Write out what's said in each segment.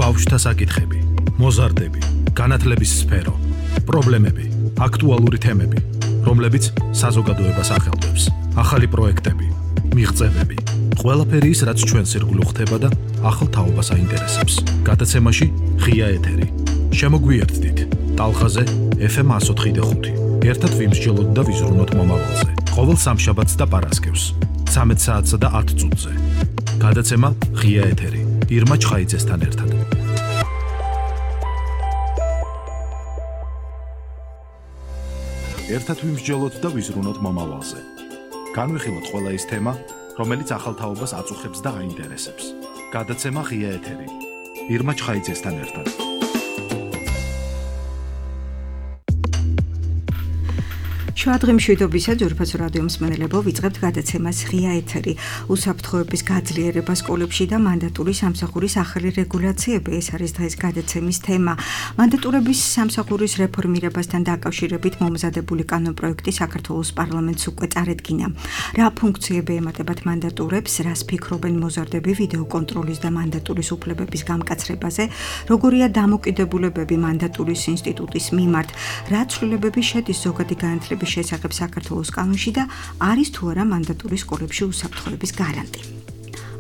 ბავშვთა საკითხები, მოზარდები, განათლების სფერო, პრობლემები, აქტუალური თემები, რომლებიც საზოგადოებას ახელვებს, ახალი პროექტები, მიღწევები, ყველაფერი ის, რაც ჩვენს ირგვლივ ხდება და ახალ თაობას აინტერესებს. გადაცემაში ღია ეთერი. შემოგვიერთდით ტალღაზე FM 104.5. ერთად ვიმსჯელოთ და ვიზრუნოთ მომავალზე. ყოველ სამშაბათს და პარასკევს 13 საათსა და 10 წუთზე. გადაცემა ღია ეთერი. ირმა ჩხაიძესთან ერთად. ერთად ვიმსჯელოთ და ვიზრუნოთ მომავალზე. განვიხილოთ ყველა ის თემა, რომელიც ახალ თაობას აწუხებს და აინტერესებს. გადაცემა ღია ეთერი. ირმა ჩხაიძესთან ერთად. შუადღემშვიდობისა ძვირფას რადიო მსმენელებო, ვიწყებთ გადაცემას ღია ეთერი. უსაფრთხოების გაძლიერება სკოლებში და მანდატური სამსახურის ახალი რეგულაციები, ეს არის დღეს გადაცემის თემა. მანდატურების სამსახურის რეფორმირებასთან დაკავშირებით მომზადებული კანონპროექტი საქართველოს პარლამენტს უკვე წარედგინა. რა ფუნქციები ემატებათ მანდატურებს, რას ფიქრობენ მოზარდები ვიდეოკონტროლის და მანდატურის უფლებების გამკაცრებაზე, როგორია დამოკიდებულებები მანდატურის ინსტიტუტის მიმართ, რა ცვლილებები შედის ზოგადი განათლების შესახებ საქართველოს კანონში და არის თუ არა მანდატური სკოლებში უსაფრთხოების გარანტი.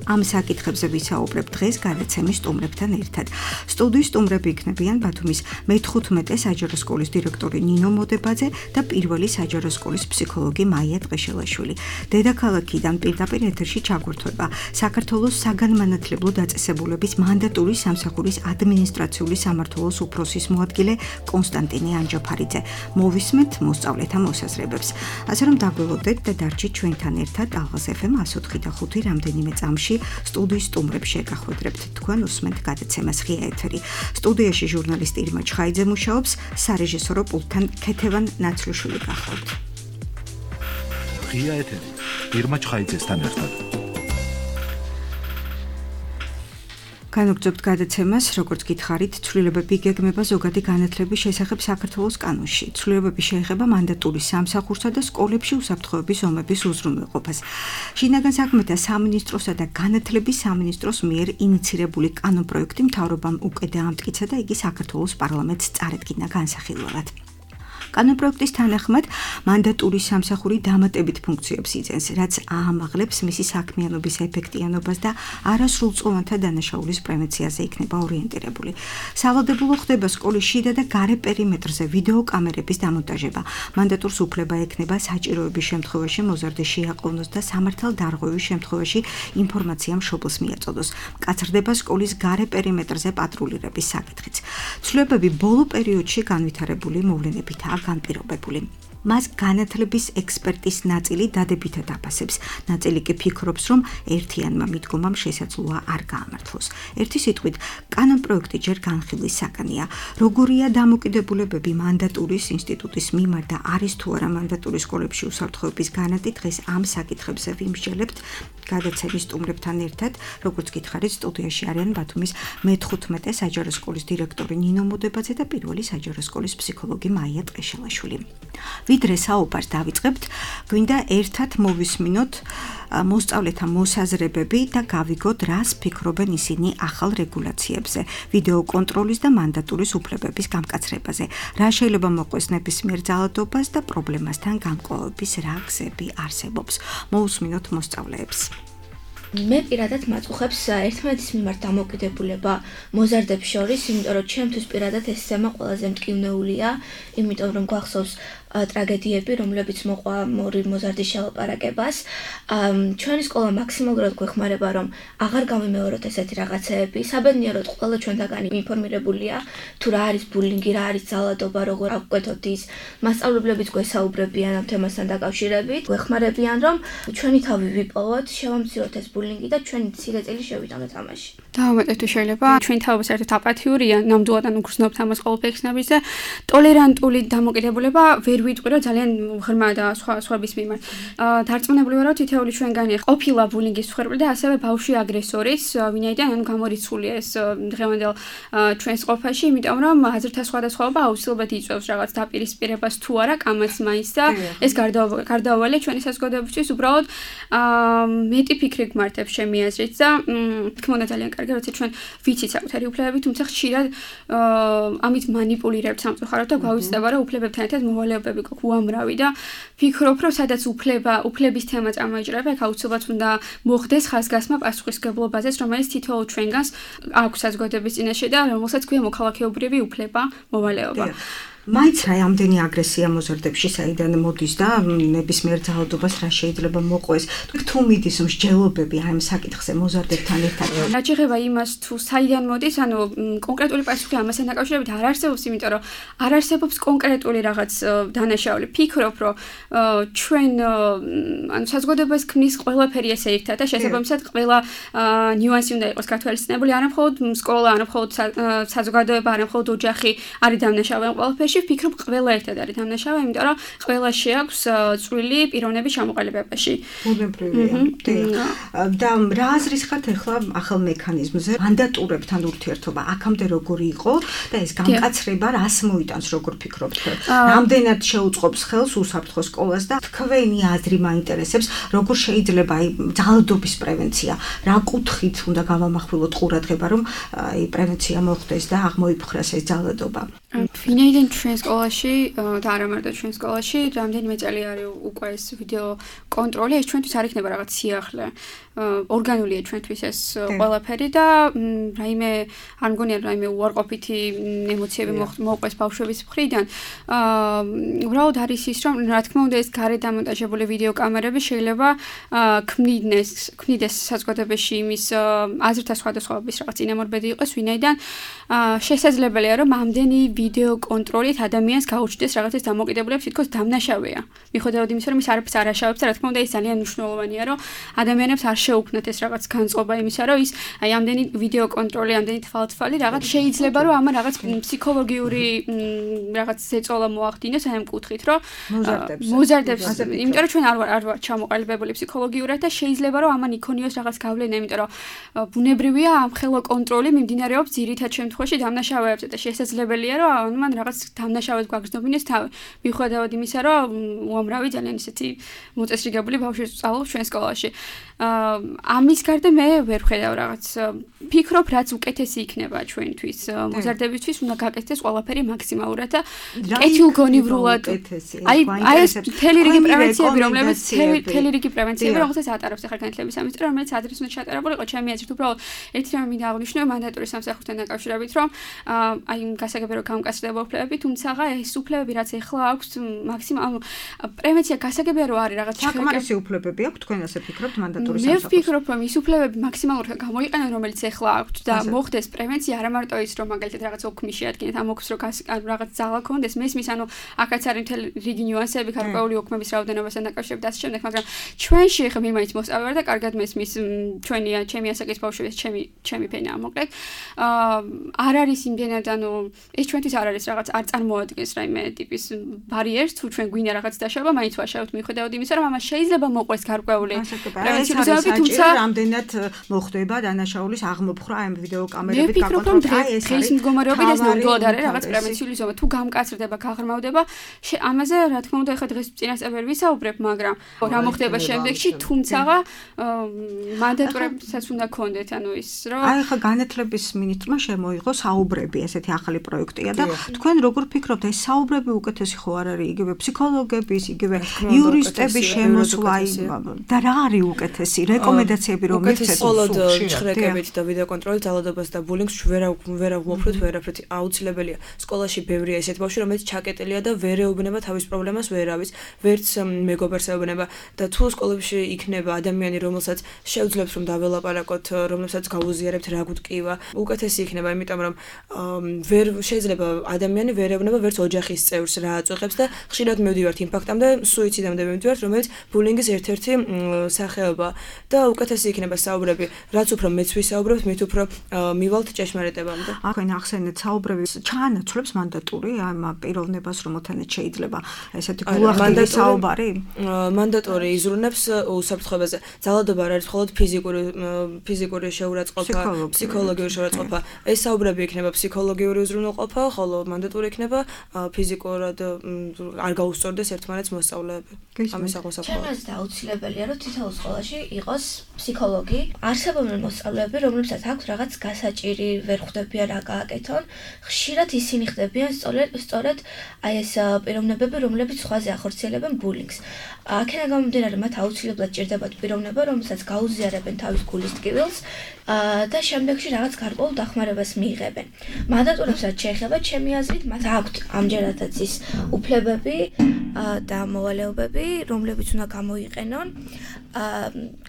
ამ საკითხებზე ვისაუბრებ დღეს გადაცემის სტუმრებთან ერთად. სტუდიის სტუმრები იქნებიან ბათუმის მე-15 საჯარო სკოლის დირექტორი ნინო მოდებაძე და პირველი საჯარო სკოლის ფსიქოლოგი მაია ტყეშელაშვილი. დედაქალაქიდან პირდაპირ ეთერში ჩაგვერთვება საქართველოს საგანმანათლებლო დაწესებულების მანდატური სამსახურის ადმინისტრაციული სამმართველოს უფროსის მოადგილე კონსტანტინე ანჯაფარიძე. მოვისმენთ მოსწავლეთა მოსაზრებებს. ასე რომ დაგველოდეთ და დარჩით ჩვენთან ერთად ალღას FM 104.5 რამდენიმე წამში. სტუდიის სტუმრებს შეგახვედრებთ, თქვენ უსმენთ გადაცემას ღია ეთერი. სტუდიაში ჟურნალისტი ირმა ჩხაიძე მუშაობს, სარეჟისორო პულტთან ქეთევან ნაცლიშვილი გახლავთ. ღია ეთერი. ირმა ჩხაიძესთან ერთად. განვგრძობთ გადაცემას, როგორც გითხარით, ცვლილებები იგეგმება ზოგადი განათლების შესახებ საქართველოს კანონში. ცვლილებები შეეხება მანდატურის სამსახურსა და სკოლებში უსაფრთხოების ომების უზრუნველყოფას. შინაგან საქმეთა სამინისტროსა და განათლების სამინისტროს მიერ ინიცირებული კანონპროექტი მთავრობამ უკვე დაამტკიცა და იგი საქართველოს პარლამენტს წარედგინა განსახილველად. კანონპროექტის თანახმად მანდატურის სამსახური დამატებით ფუნქციებს იძენს, რაც აამაღლებს მისი საქმიანობის ეფექტიანობას და არასრულწლოვანთა დანაშაულის პრევენციაზე იქნება ორიენტირებული. სავალდებულო ხდება სკოლის შიდა და გარე პერიმეტრზე ვიდეოკამერების დამონტაჟება. მანდატურს უფლება ექნება საჭიროების შემთხვევაში მოზარდი შეაყოვნოს და სამართალდარღვევის შემთხვევაში ინფორმაცია მშობელს მიაწოდოს. მკაცრდება სკოლის გარე პერიმეტრზე პატრულირების საკითხიც. ცვლილებები ბოლო პერიოდში განვითარებული მოვლენებითაა განპირობებული. მას განათლების ექსპერტის ნაწილი დადებითად აფასებს. ნაწილი კი ფიქრობს, რომ ერთიანმა მიდგომამ შესაძლოა არ გაამართლოს. ერთი სიტყვით, კანონპროექტი ჯერ განხილვის საგანია. როგორია დამოკიდებულებები მანდატურის ინსტიტუტის მიმართ და არის თუ არა მანდატური სკოლებში უსაფრთხოების გარანტი, დღეს ამ საკითხებზე ვიმსჯელებთ გადაცემის სტუმრებთან ერთად. როგორც გითხარით, სტუდიაში არიან ბათუმის მე-15 საჯარო სკოლის დირექტორი ნინო მოდებაძე და პირველი საჯარო სკოლის ფსიქოლოგი მაია ტყეშელაშვილი. ვიდრე საუბარს დავიწყებთ, გვინდა ერთად მოვისმინოთ მოსწავლეთა მოსაზრებები და გავიგოთ, რას ფიქრობენ ისინი ახალ რეგულაციებზე, ვიდეოკონტროლის და მანდატურის უფლებების გამკაცრებაზე, რა შეიძლება მოყვეს ნებისმიერ ძალადობას და პრობლემასთან გამკლავების რა გზები არსებობს. მოусმინოთ მოსწავლეებს. მე პირადად მაწუხებს ერთმანეთის მიმართ დამოკიდებულება მოზარდებს შორის, იმიტომ რომ ჩემთვის პირადად ეს თემა ყველაზე მტკივნეულია, იმიტომ რომ გვახსოვს ტრაგედიები, რომლებიც მოყვა ორი მოზარდის შელაპარაკებას. ჩვენი სკოლა მაქსიმალურად გვეხმარება, რომ აღარ გამიმეოროთ ესეთი რაღაცეები. საბედნიეროდ ყველა ჩვენთაგანი ინფორმირებულია, თუ რა არის ბულინგი, რა არის ძალადობა, როგორ ავკვეთოთ ის. მასწავლებლებიც გვესაუბრებიან ამ თემასთან დაკავშირებით. გვეხმარებიან, რომ ჩვენი თავი ვიპოვოთ, შევამციროთ ეს ბულინგი და ჩვენი სიგაწილი შევიტანოთ ამაში. დავუმატებთ თუ შეიძლება, ჩვენი თავი საერთოდ აპათიურია, ნამდვილად უგრძნობთ ამას ყოველფერს იქნების და ტოლერანტული დამოკიდებულება ვერ ვიტყვი, რომ ძალიან ღრმა და სხვების მიმართ. დარწმუნებული ვარ, რომ თითოეული ჩვენგანი ყოფილა ბულინგის მსხვერპლი და ასევე ბავშვი აგრესორის, ვინაიდან გამორიცხულია ეს დღევანდელ ჩვენს ყოფაში, იმიტომ რომ აზრთა სხვადასხვაობა აუცილებლად იწვევს რაღაც დაპირისპირებას თუ არა კამაც მაინც და ეს გარდაუვალია ჩვენი საზოგადოებისთვის უბრალოდ მეტი ფიქრი გმართებს ჩემი აზრით და თქმა უნდა ძალიან კარგი კარგი, როცა ჩვენ ვიცით საკუთარი უფლებები, თუმცა ხშირად ამით манипуლირებთ სამწუხაროდ და გვავიწყდება, რომ უფლებებთან ერთად მოვალეობები გვაქვს უამრავი და ფიქრობ, რომ სადაც უფლების თემა წამოიჭრება, აქ აუცილებლად უნდა მოხდეს ხაზგასმა პასუხისმგებლობაზეც, რომელიც თითოეულ ჩვენგანს აქვს საზოგადოების წინაშე და რომელსაც ქვია მოქალაქეობრივი უფლება, მოვალეობა. მაინც რა ამდენი აგრესია მოზარდებში საიდან მოდის და ნებისმიერ ძალადობას რა შეიძლება მოყვეს. თუ მიდის მსჯელობები ამ საკითხზე მოზარდებთან ერთად. რა შეეხება იმას თუ საიდან მოდის, ანუ კონკრეტული პასუხი ამასთან დაკავშირებით არ არსებობს, იმიტომ რომ არ არსებობს კონკრეტული რაღაც დანაშაული. ფიქრობ, რომ ჩვენ ანუ საზოგადოებას ქმნის ყველაფერი ესე ერთად და შესაბამისად ყველა ნიუანსი უნდა იყოს გათვალისწინებული, არა მხოლოდ სკოლა, არა მხოლოდ საზოგადოება, არა მხოლოდ ოჯახი არის დამნაშავე ყველაფერში. ფიქრობ ყველა ერთად არის დამნაშავე, იმიტომ რომ ყველა შეაქვს წვრილი პიროვნების ჩამოყალიბებაში. ბუნებრივია. და რა აზრის ხართ ახლა ახალ მექანიზმზე? მანდატურებთან ურთიერთობა აქამდე როგორი იყო და ეს გამკაცრება რას მოიტანს, როგორ ფიქრობთ? რამდენად შეუწყობს ხელს უსაფრთხო სკოლას და თქვენი აზრი მაინტერესებს, როგორ შეიძლება აი ძალადობის პრევენცია, რა კუთხით უნდა გავამახვილოთ ყურადღება, რომ აი პრევენცია მოხდეს და აღმოიფხვრას ეს ძალადობა? ვინაიდან ჩვენ სკოლაში და არა მარტო ჩვენ სკოლაში რამდენიმე წელი არის უკვე ეს ვიდეო კონტროლი, ეს ჩვენთვის არ იქნება რაღაც სიახლე. ორგანულია ჩვენთვის ეს ყველაფერი და რაიმე არ მგონია რაიმე უარყოფითი ემოციები მოყვეს ბავშვების მხრიდან. უბრალოდ არის ის, რომ რა თქმა უნდა ეს გარეთ დამონტაჟებული ვიდეო კამერები შეიძლება ქმნიდეს საზოგადოებაში იმის აზრთა სხვადასხვაობის რაღაც წინამორბედი იყოს, ვინაიდან შესაძლებელია რომ ამდენი ვიდეო კონტროლით ადამიანს გაუჩნდეს რაღაცის დამოკიდებულება, თითქოს დამნაშავეა. მიუხედავად იმისა, რომ ის არაფერს არ აშავებს და რა თქმა უნდა ეს ძალიან მნიშვნელოვანია, რომ ადამიანებს არ შეუქმნათ ეს რაღაც განწყობა იმისა, რომ ის აი ამდენი ვიდეო კონტროლი, ამდენი თვალთვალი რაღაც შეიძლება რომ ამან რაღაც ფსიქოლოგიური რაღაც ზეწოლა მოახდინოს ამ კუთხით, რომ მოზარდებს, იმიტომ რომ ჩვენ არ ვართ ჩამოყალიბებული ფსიქოლოგიურად და შეიძლება რომ ამან იქონიოს რაღაც გავლენა, იმიტომ რომ ბუნებრივია ამ ხელო კონტროლი მიმდინარეობს ძირითად შემთხვევაში დამნაშავეებზე და შესაძლებელია რომ მან რაღაც დამნაშავედ გვაგრძნობინოს თავი. მიუხედავად იმისა, რომ უამრავი ძალიან ისეთი მოწესრიგებული ბავშვი სწავლობს ჩვენ სკოლაში. ამის გარდა მე ვერ ვხედავ რაღაც ფიქრობ რაც უკეთესი იქნება ჩვენთვის მოზარდებისთვის უნდა გაკეთდეს ყველაფერი მაქსიმალურად და კეთილგონივრულად აი ეს მთელი რიგი პრევენციები რომელსაც ატარებს ახლა განათლების სამინისტრო რომელიც ადრეს უნდა ჩატარებულიყო ჩემი აზრით უბრალოდ ერთი რამე მინდა აღვნიშნო მანდატურის სამსახურთან დაკავშირებით რომ აი გასაგებია რომ გამკაცრდება უფლებები თუმცა ეს უფლებები რაც ახლა აქვს მაქსიმალ პრევენცია გასაგებია რომ არის რაღაც საკმარისი უფლებები აქვს თქვენ ასე ფიქრობთ მანდატურის მე ვფიქრობ რომ ის უფლებები მაქსიმალურად გამოიყენონ რომელიც ახლა აქვს და მოხდეს პრევენცია არა მარტო ის რომ მაგალითად რაღაც ოქმი შეადგენთ ამ ოქმს რომ რაღაც ძალა ქონდეს მესმის ანუ აქაც არის მთელი რიგი ნიუანსები გარკვეული ოქმების რაოდენობასთან დაკავშირებით და ასე შემდეგ მაგრამ ჩვენში ხა მე მაინც მოსწავლე ვარ და კარგად მესმის ჩვენია ჩემი ასაკის ბავშვებს ჩემი ფენაა მოკლედ არ არის იმდენად ანუ ეს ჩვენთვის არ არის რაღაც არ წარმოადგენს რაიმე ტიპის ბარიერს თუ ჩვენ გვინდა რაღაც დაშავება მაინც ვაშავებთ მიუხედავად იმისა რომ ამას შეიძლება მოყვეს გარკვეული პრევენციული თუმცა რამდენად მოხდება დანაშაულის აღმოფხვრა ამ ვიდეო კამერებით გაკონტროლებით დღის მდგომარეობით ეს ნამდვილად არის რაღაც პრევენციული ზომა თუ გამკაცრდება გაღრმავდება ამაზე რა თქმა უნდა ეხლა დღეს წინასწარ ვისაუბრებ მაგრამ რა მოხდება შემდეგში თუმცა მანდატურებსაც უნდა გქონდეთ ანუ ის რომ აი ხა განათლების მინისტრმა შემოიღო საუბრები ესეთი ახალი პროექტია და თქვენ როგორ ფიქრობთ ეს საუბრები უკეთესი ხო არ არის იგივე ფსიქოლოგების იგივე იურისტების შემოსვლა და რა არის უკეთესი რეკომენდაციები რომ მიცეთ მხოლოდ ჩხრეკებით და ვიდეო კონტროლით ძალადობას და ბულინგს ვერ ვუაფროთ ვერაფრით აუცილებელია სკოლაში ბევრია ესეთი ბავშვი რომელიც ჩაკეტილია და ვერ ეუბნება თავის პრობლემას ვერავის ვერც მეგობარს ეუბნება და თუ სკოლებში იქნება ადამიანი რომელსაც შეუძლებს რომ დაველაპარაკოთ რომელსაც გაუზიარებთ რა გუტკივა უკეთესი იქნება იმიტომ რომ ვერ შეიძლება ადამიანი ვერ ეუბნება ვერც ოჯახის წევრს რა აწუხებს და ხშირად მივდივართ იმ ფაქტამდე სუიციდამდე მივდივართ რომელიც ბულინგის ერთ-ერთი სახეობა და უკეთესი იქნება საუბრები რაც უფრო მეც ვისაუბრებთ მით უფრო მივალთ ჭეშმარიტებამდე თქვენ ახსენეთ საუბრების ჩაანაცვლებს მანდატური ამ პიროვნებას რომელთანაც შეიძლება ესეთი გულახდილი საუბარი მანდატური იზრუნებს უსაფრთხოებაზე ძალადობა არ არის მხოლოდ ფიზიკური შეურაცხყოფა ფსიქოლოგიური შეურაცხყოფა ეს საუბრები იქნება ფსიქოლოგიური უზრუნველყოფა ხოლო მანდატური იქნება ფიზიკურად არ გაუსწორდეს ერთმანეთს მოსწავლეები ამის აღმოსახვევად ჩემს აუცილებელია რომ თითოეულ სკოლაში იყოს ფსიქოლოგი, არსებობენ მოსწავლეები, რომლებსაც აქვს რაღაც გასაჭირი, ვერ ხვდებიან რა გააკეთონ, ხშირად ისინი ხდებიან სწორედ აი ეს პიროვნებები, რომლებიც სხვაზე ახორციელებენ ბულინგს. აქედან გამომდინარე, მათ აუცილებლად ჭირდებათ პიროვნება, რომელსაც გაუზიარებენ თავის გულის ტკივილს და შემდეგში რაღაც გარკვეულ დახმარებას მიიღებენ. მანდატურებსაც შეეხება, ჩემი აზრით, მათ აქვთ ამჯერადაც ის უფლებები და მოვალეობები, რომლებიც უნდა გამოიყენონ.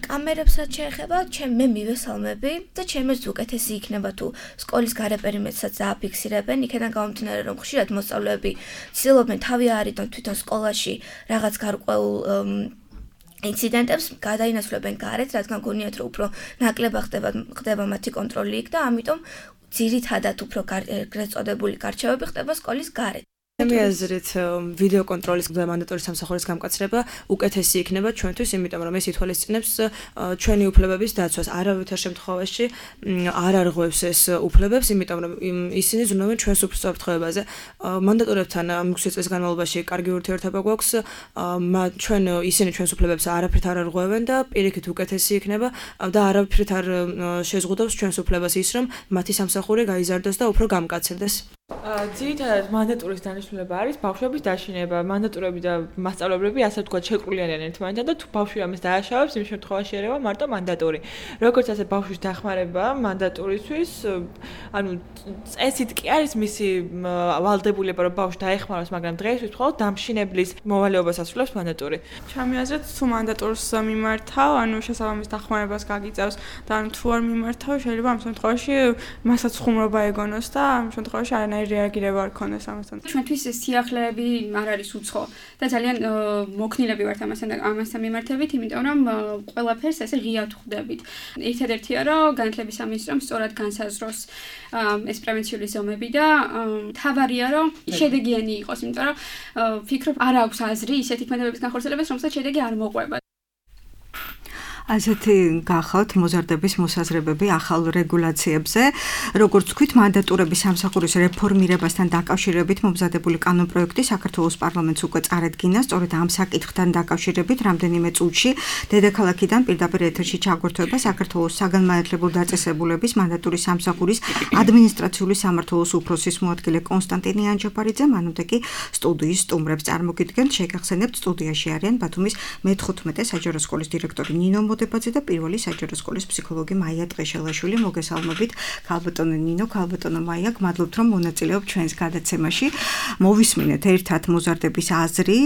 კამერებსაც შეეხება, მე მივესალმები და ჩემს უკეთესი იქნება თუ სკოლის გარე პერიმეტრსაც დააფიქსირებენ, იქიდან გამომდინარე, რომ ხშირად მოსწავლეები ცდილობენ თავი აარიდონ თვითონ სკოლაში რაღაც გარკვეულ ინციდენტებს გადაინაცვლებენ გარეთ, რადგან გონიათ, რომ უფრო ნაკლება ხდება მათი კონტროლი იქ და ამიტომ ძირითადად უფრო ეგრეთ წოდებული გარჩევები ხდება სკოლის გარეთ. ჩემი აზრით ვიდეო კონტროლის და მანდატური სამსახურის გამკაცრება უკეთესი იქნება ჩვენთვის, იმიტომ რომ ეს ითვალისწინებს ჩვენი უფლებების დაცვას. არავითარ შემთხვევაში არ არღვევს ეს უფლებებს, იმიტომ რომ ისინი ზრუნავენ ჩვენს უსაფრთხოებაზე. მანდატურებთან მუქი წლის განმავლობაში კარგი ურთიერთობა გვაქვს, ჩვენ ისინი ჩვენს უფლებებს არაფრით არ არღვევენ და პირიქით უკეთესი იქნება და არაფრით არ შეზღუდავს ჩვენს უფლებას ის, რომ მათი სამსახური გაიზარდოს და უფრო გამკაცრდეს. ძირითადად მანდატურის დანიშნულება არის ბავშვების დაშინება. მანდატურები და მასწავლებლები ასე ვთქვათ შეკრულიანენ ერთმანეთთან და თუ ბავშვი ამას დააშავებს, იმ შემთხვევაში ერევა მარტო მანდატური. როგორც ასე ბავშვის დახმარება მანდატურისთვის, ანუ წესით კი არის მისი ვალდებულება, რომ ბავშვი დაეხმაროს, მაგრამ დღეისთვის მხოლოდ დამშინებლის მოვალეობას ასრულებს მანდატური. ჩემი აზრით, თუ მანდატურს მიმართავ, ანუ შესაბამის დახმარებას გაგიწევს და ანუ თუ არ მიმართავ, შეიძლება ამ შემთხვევაში მასაც ხუმრობა ეგონოს და ამ შემთხვევაში არანაირი რეაგირება არ ქონდეს ამასთან. ჩვენთვის სიახლეები არ არის უცხო და ძალიან მოქნილები ვართ ამასთან მიმართებით, იმიტომ რომ ყველაფერს ესე ღიად ხვდებით. ერთადერთია, რომ განათლების სამინისტრომ სწორად განსაზღვროს ეს პრევენციული ზომები და თავარია, რომ შედეგიანი იყოს, იმიტომ რომ ფიქრობ, არ აქვს აზრი ისეთი ქმედებების განხორციელებას, რომელსაც შედეგი არ მოყვება. ასეთი გახავთ მოზარდების მოსაზრებები ახალ რეგულაციებზე. როგორც თქვით, მანდატურების სამსახურის რეფორმირებასთან დაკავშირებით მომზადებული კანონპროექტი საქართველოს პარლამენტს უკვე წარედგინა. სწორედ ამ საკითხთან დაკავშირებით რამდენიმე წუთში დედაქალაქიდან პირდაპირ ეთერში ჩაგვერთვება საქართველოს საგანმანათლებლო დაწესებულების მანდატურის სამსახურის ადმინისტრაციული სამმართველოს უფროსის მოადგილე კონსტანტინე ანჯაფარიძე. მანამდე კი სტუდიის სტუმრებს წარმოგიდგენთ. შეგახსენებთ, სტუდიაში არიან ბათუმის მე-15 საჯარო სკოლის დირექტორი ნინო დებაძე და პირველი საჯარო სკოლის ფსიქოლოგი მაია ტყეშელაშვილი. მოგესალმებით ქალბატონო ნინო, ქალბატონო მაია, გმადლობთ რომ მონაწილეობთ ჩვენს გადაცემაში. მოვისმინეთ ერთად მოზარდების აზრი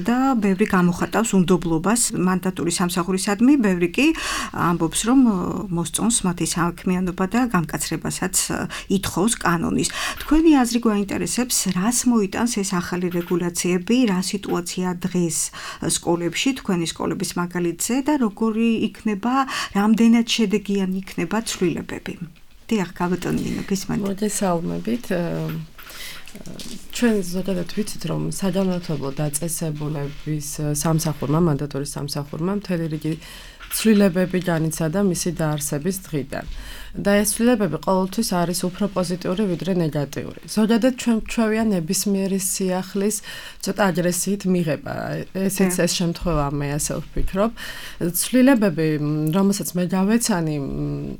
და ბევრი გამოხატავს უნდობლობას მანდატური სამსახურისადმი, ბევრი კი ამბობს რომ მოსწონს მათი საქმიანობა და გამკაცრებასაც ითხოვს კანონის. თქვენი აზრი გვაინტერესებს, რას მოიტანს ეს ახალი რეგულაციები, რა სიტუაცია დღეს სკოლებში, თქვენი სკოლების მაგალითზე და როგორი იქნება, რამდენად შედეგიანი იქნება ცვლილებები. დიახ, ქალბატონო ნინო, გისმენთ. მოგესალმებით. ჩვენ ზოგადად ვიცით, რომ საგანმანათლებლო დაწესებულების სამსახურმა, მანდატურის სამსახურმა მთელი რიგი ცვლილებები განიცადა მისი დაარსების დღიდან. და ეს ცვლილებები ყოველთვის არის უფრო პოზიტიური ვიდრე ნეგატიური. ზოგადად ჩვენ ჩვევია ნებისმიერი სიახლის ცოტა აგრესიით მიღება. ესეც ეს შემთხვევა მე ასე ვფიქრობ. ცვლილებები, რომელსაც მე გავეცანი,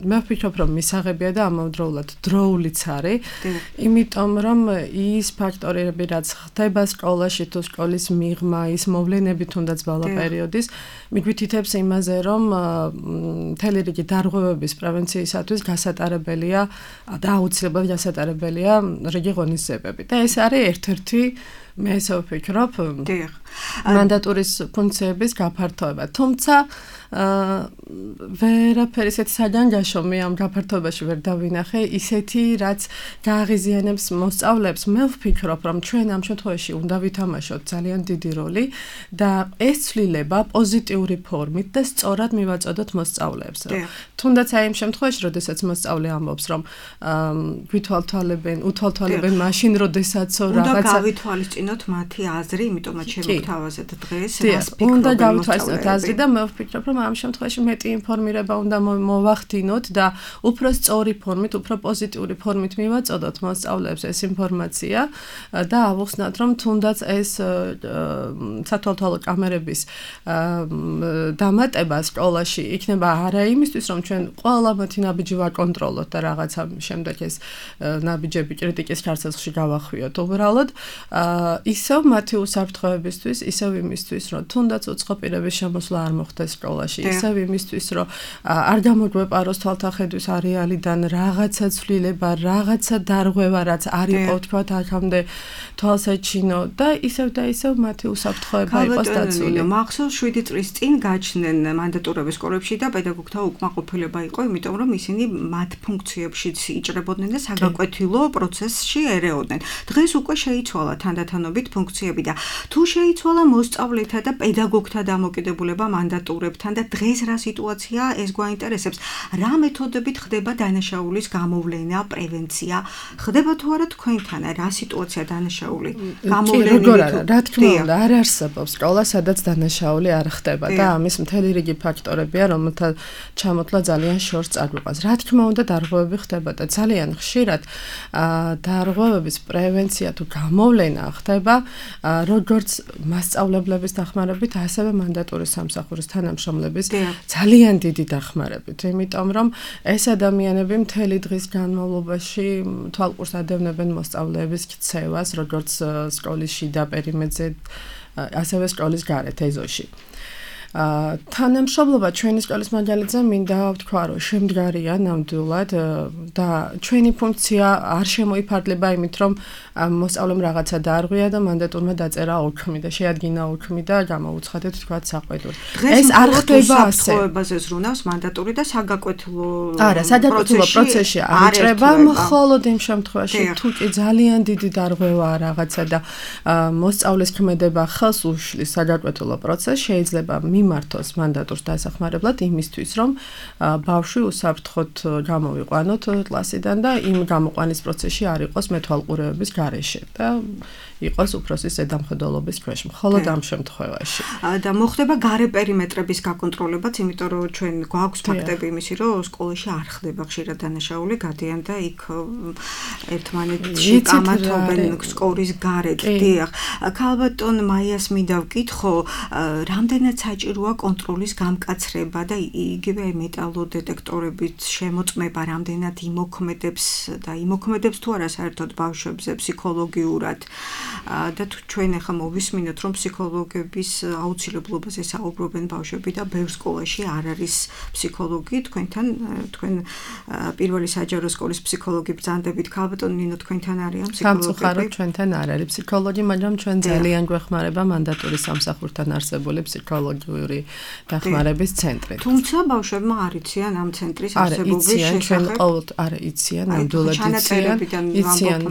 მე ვფიქრობ, რომ მისაღებია და ამავდროულად დროულიც არის. იმიტომ რომ ის ფაქტორები, რაც ხდება სკოლაში თუ სკოლის მიღმა, ის მოვლენები თუნდაც ბალა პერიოდის, მიგვითითებს იმაზე, რომ მთელი რიგი დარღვევების პრევენციისათვის გასატარებელია და აუცილებლად გასატარებელია რიგი ღონისძიებები. და ეს არის ერთ-ერთი მე ესე ვფიქრობ მანდატურის ფუნქციების გაფართოება. თუმცა ვერაფერი ისეთი საგანგაშო მე ამ გაფართოებაში ვერ დავინახე, ისეთი რაც გააღიზიანებს მოსწავლეებს. მე ვფიქრობ, რომ ჩვენ ამ შემთხვევაში უნდა ვითამაშოთ ძალიან დიდი როლი და ეს ცვლილება პოზიტიური ფორმით და სწორად მივაწოდოთ მოსწავლეებს. თუნდაც აი იმ შემთხვევაში, როდესაც მოსწავლე ამბობს, რომ უთვალთვალებენ მაშინ, როდესაც რაღაცა გავითვალისწინოთ გავუწინოთ მათი აზრი, იმიტომაც შევთავაზეთ დღეს რას ფიქრობენ. უნდა გავთავაზოთ აზრი და მე ვფიქრობ, რომ ამ შემთხვევაში მეტი ინფორმირება უნდა მოვახდინოთ და უფრო სწორი ფორმით, უფრო პოზიტიური ფორმით მივაწოდოთ მოსწავლეებს ეს ინფორმაცია და ავუხსნათ, რომ თუნდაც ეს სათვალთვალო კამერების დამატება სკოლაში იქნება არა იმისთვის, რომ ჩვენ ყველა მათი ნაბიჯი ვაკონტროლოთ და რაღაცა შემდეგ ეს ნაბიჯები კრიტიკის ხარცელში გავახვიოთ. უბრალოდ ისევ მათი უსაფრთხოებისთვის, ისევ იმისთვის, რომ თუნდაც უცხო პირების შემოსვლა არ მოხდეს სკოლაში, ისევ იმისთვის, რომ არ გამოგვეპაროს თვალთახედვის არეალიდან რაღაცა ცვლილება, რაღაცა დარღვევა, რაც არ იყო თქვათ აქამდე თვალსაჩინო და ისევ მათი უსაფრთხოება იყოს დაცული. მახსოვს 7 წლის წინ გაჩნდნენ მანდატურების სკოლებში და პედაგოგთა უკმაყოფილება იყო, იმიტომ რომ ისინი მათ ფუნქციებშიც იჭრებოდნენ და საგაკვეთილო პროცესში ერეოდნენ. დღეს უკვე შეიცვალა თანდათანობით ფუნქციები და თუ შეიცვალა მოსწავლეთა და პედაგოგთა დამოკიდებულება მანდატურებთან და დღეს რა სიტუაციაა, ეს გვაინტერესებს. რა მეთოდებით ხდება დანაშაულის გამოვლენა, პრევენცია? ხდება თუ არა თქვენთან რა სიტუაცია დანაშაული? გამოვლენა რა თქმა უნდა არ არსებობს სკოლა, სადაც დანაშაული არ ხდება და ამის მთელი რიგი ფაქტორებია, რომელთა ჩამოთვლა ძალიან შორს წაგვიყვანს. რა თქმა უნდა დარღვევები ხდება და ძალიან ხშირად დარღვევების პრევენცია თუ გამოვლენა ხდება როგორც მასწავლებლების დახმარებით, ასევე მანდატურის სამსახურის თანამშრომლების ძალიან დიდი დახმარებით, იმიტომ რომ ეს ადამიანები მთელი დღის განმავლობაში თვალყურს ადევნებენ მოსწავლეების ქცევას, როგორც სკოლის შიდა პერიმეტრზე, ასევე სკოლის გარეთ ეზოში. თანამშრომლობა ჩვენი სკოლის მაგალითზე მინდა ვთქვა, რომ შემდგარია ნამდვილად და ჩვენი ფუნქცია არ შემოიფარგლება იმით, რომ მოსწავლემ რაღაცა დაარღვია და მანდატურმა დაწერა ოქმი და შეადგინა ოქმი და გამოუცხადეთ თქვა საყვედური. ეს არ ხდება ასე. საფრთხოებაზე ზრუნავს მანდატური და საგაკვეთილო არა, საგაკვეთილო პროცესში არ იჭრება, მხოლოდ იმ შემთხვევაში, თუ კი ძალიან დიდი დარღვევაა რაღაცა და მოსწავლის ქმედება ხელს უშლის საგაკვეთილო პროცესს, შეიძლება მიმართოს მანდატურს დასახმარებლად იმისთვის, რომ ბავშვი უსაფრთხოდ გამოვიყვანოთ კლასიდან და იმ გამოყვანის პროცესში არ იყოს მეთვალყურეობის გარეშე და იყოს უფროსის ზედამხედველობის ქვეშ, მხოლოდ ამ შემთხვევაში. და მოხდება გარე პერიმეტრების გაკონტროლებაც, იმიტომ რომ ჩვენ გვაქვს ფაქტები იმისი, რომ სკოლაში არ ხდება ხშირად დანაშაული, გადიან და იქ ერთმანეთში კამათობენ სკოლის გარეთ. დიახ, ქალბატონ მაიას მინდა ვკითხო, რამდენად საჭიროა კონტროლის გამკაცრება და იგივე მეტალოდეტექტორებით შემოწმება, რამდენად იმოქმედებს თუ არა საერთოდ ბავშვებზე ფსიქოლოგიურად. და თუ ჩვენ ახლა მოვისმინოთ, რომ ფსიქოლოგების აუცილებლობაზე საუბრობენ ბავშვები და ბევრ სკოლაში არ არის ფსიქოლოგი, თქვენ პირველი საჯარო სკოლის ფსიქოლოგი ბრძანდებით, ქალბატონ ნინო, თქვენთან არიან ფსიქოლოგები? სამწუხაროდ ჩვენთან არ არის ფსიქოლოგი, მაგრამ ჩვენ ძალიან გვეხმარება მანდატურის სამსახურთან არსებული ფსიქოლოგიური დახმარების ცენტრი. თუმცა ბავშვებმა არ იციან ამ ცენტრის არსებობის შესახებ. არა, იციან, ნამდვილად იციან.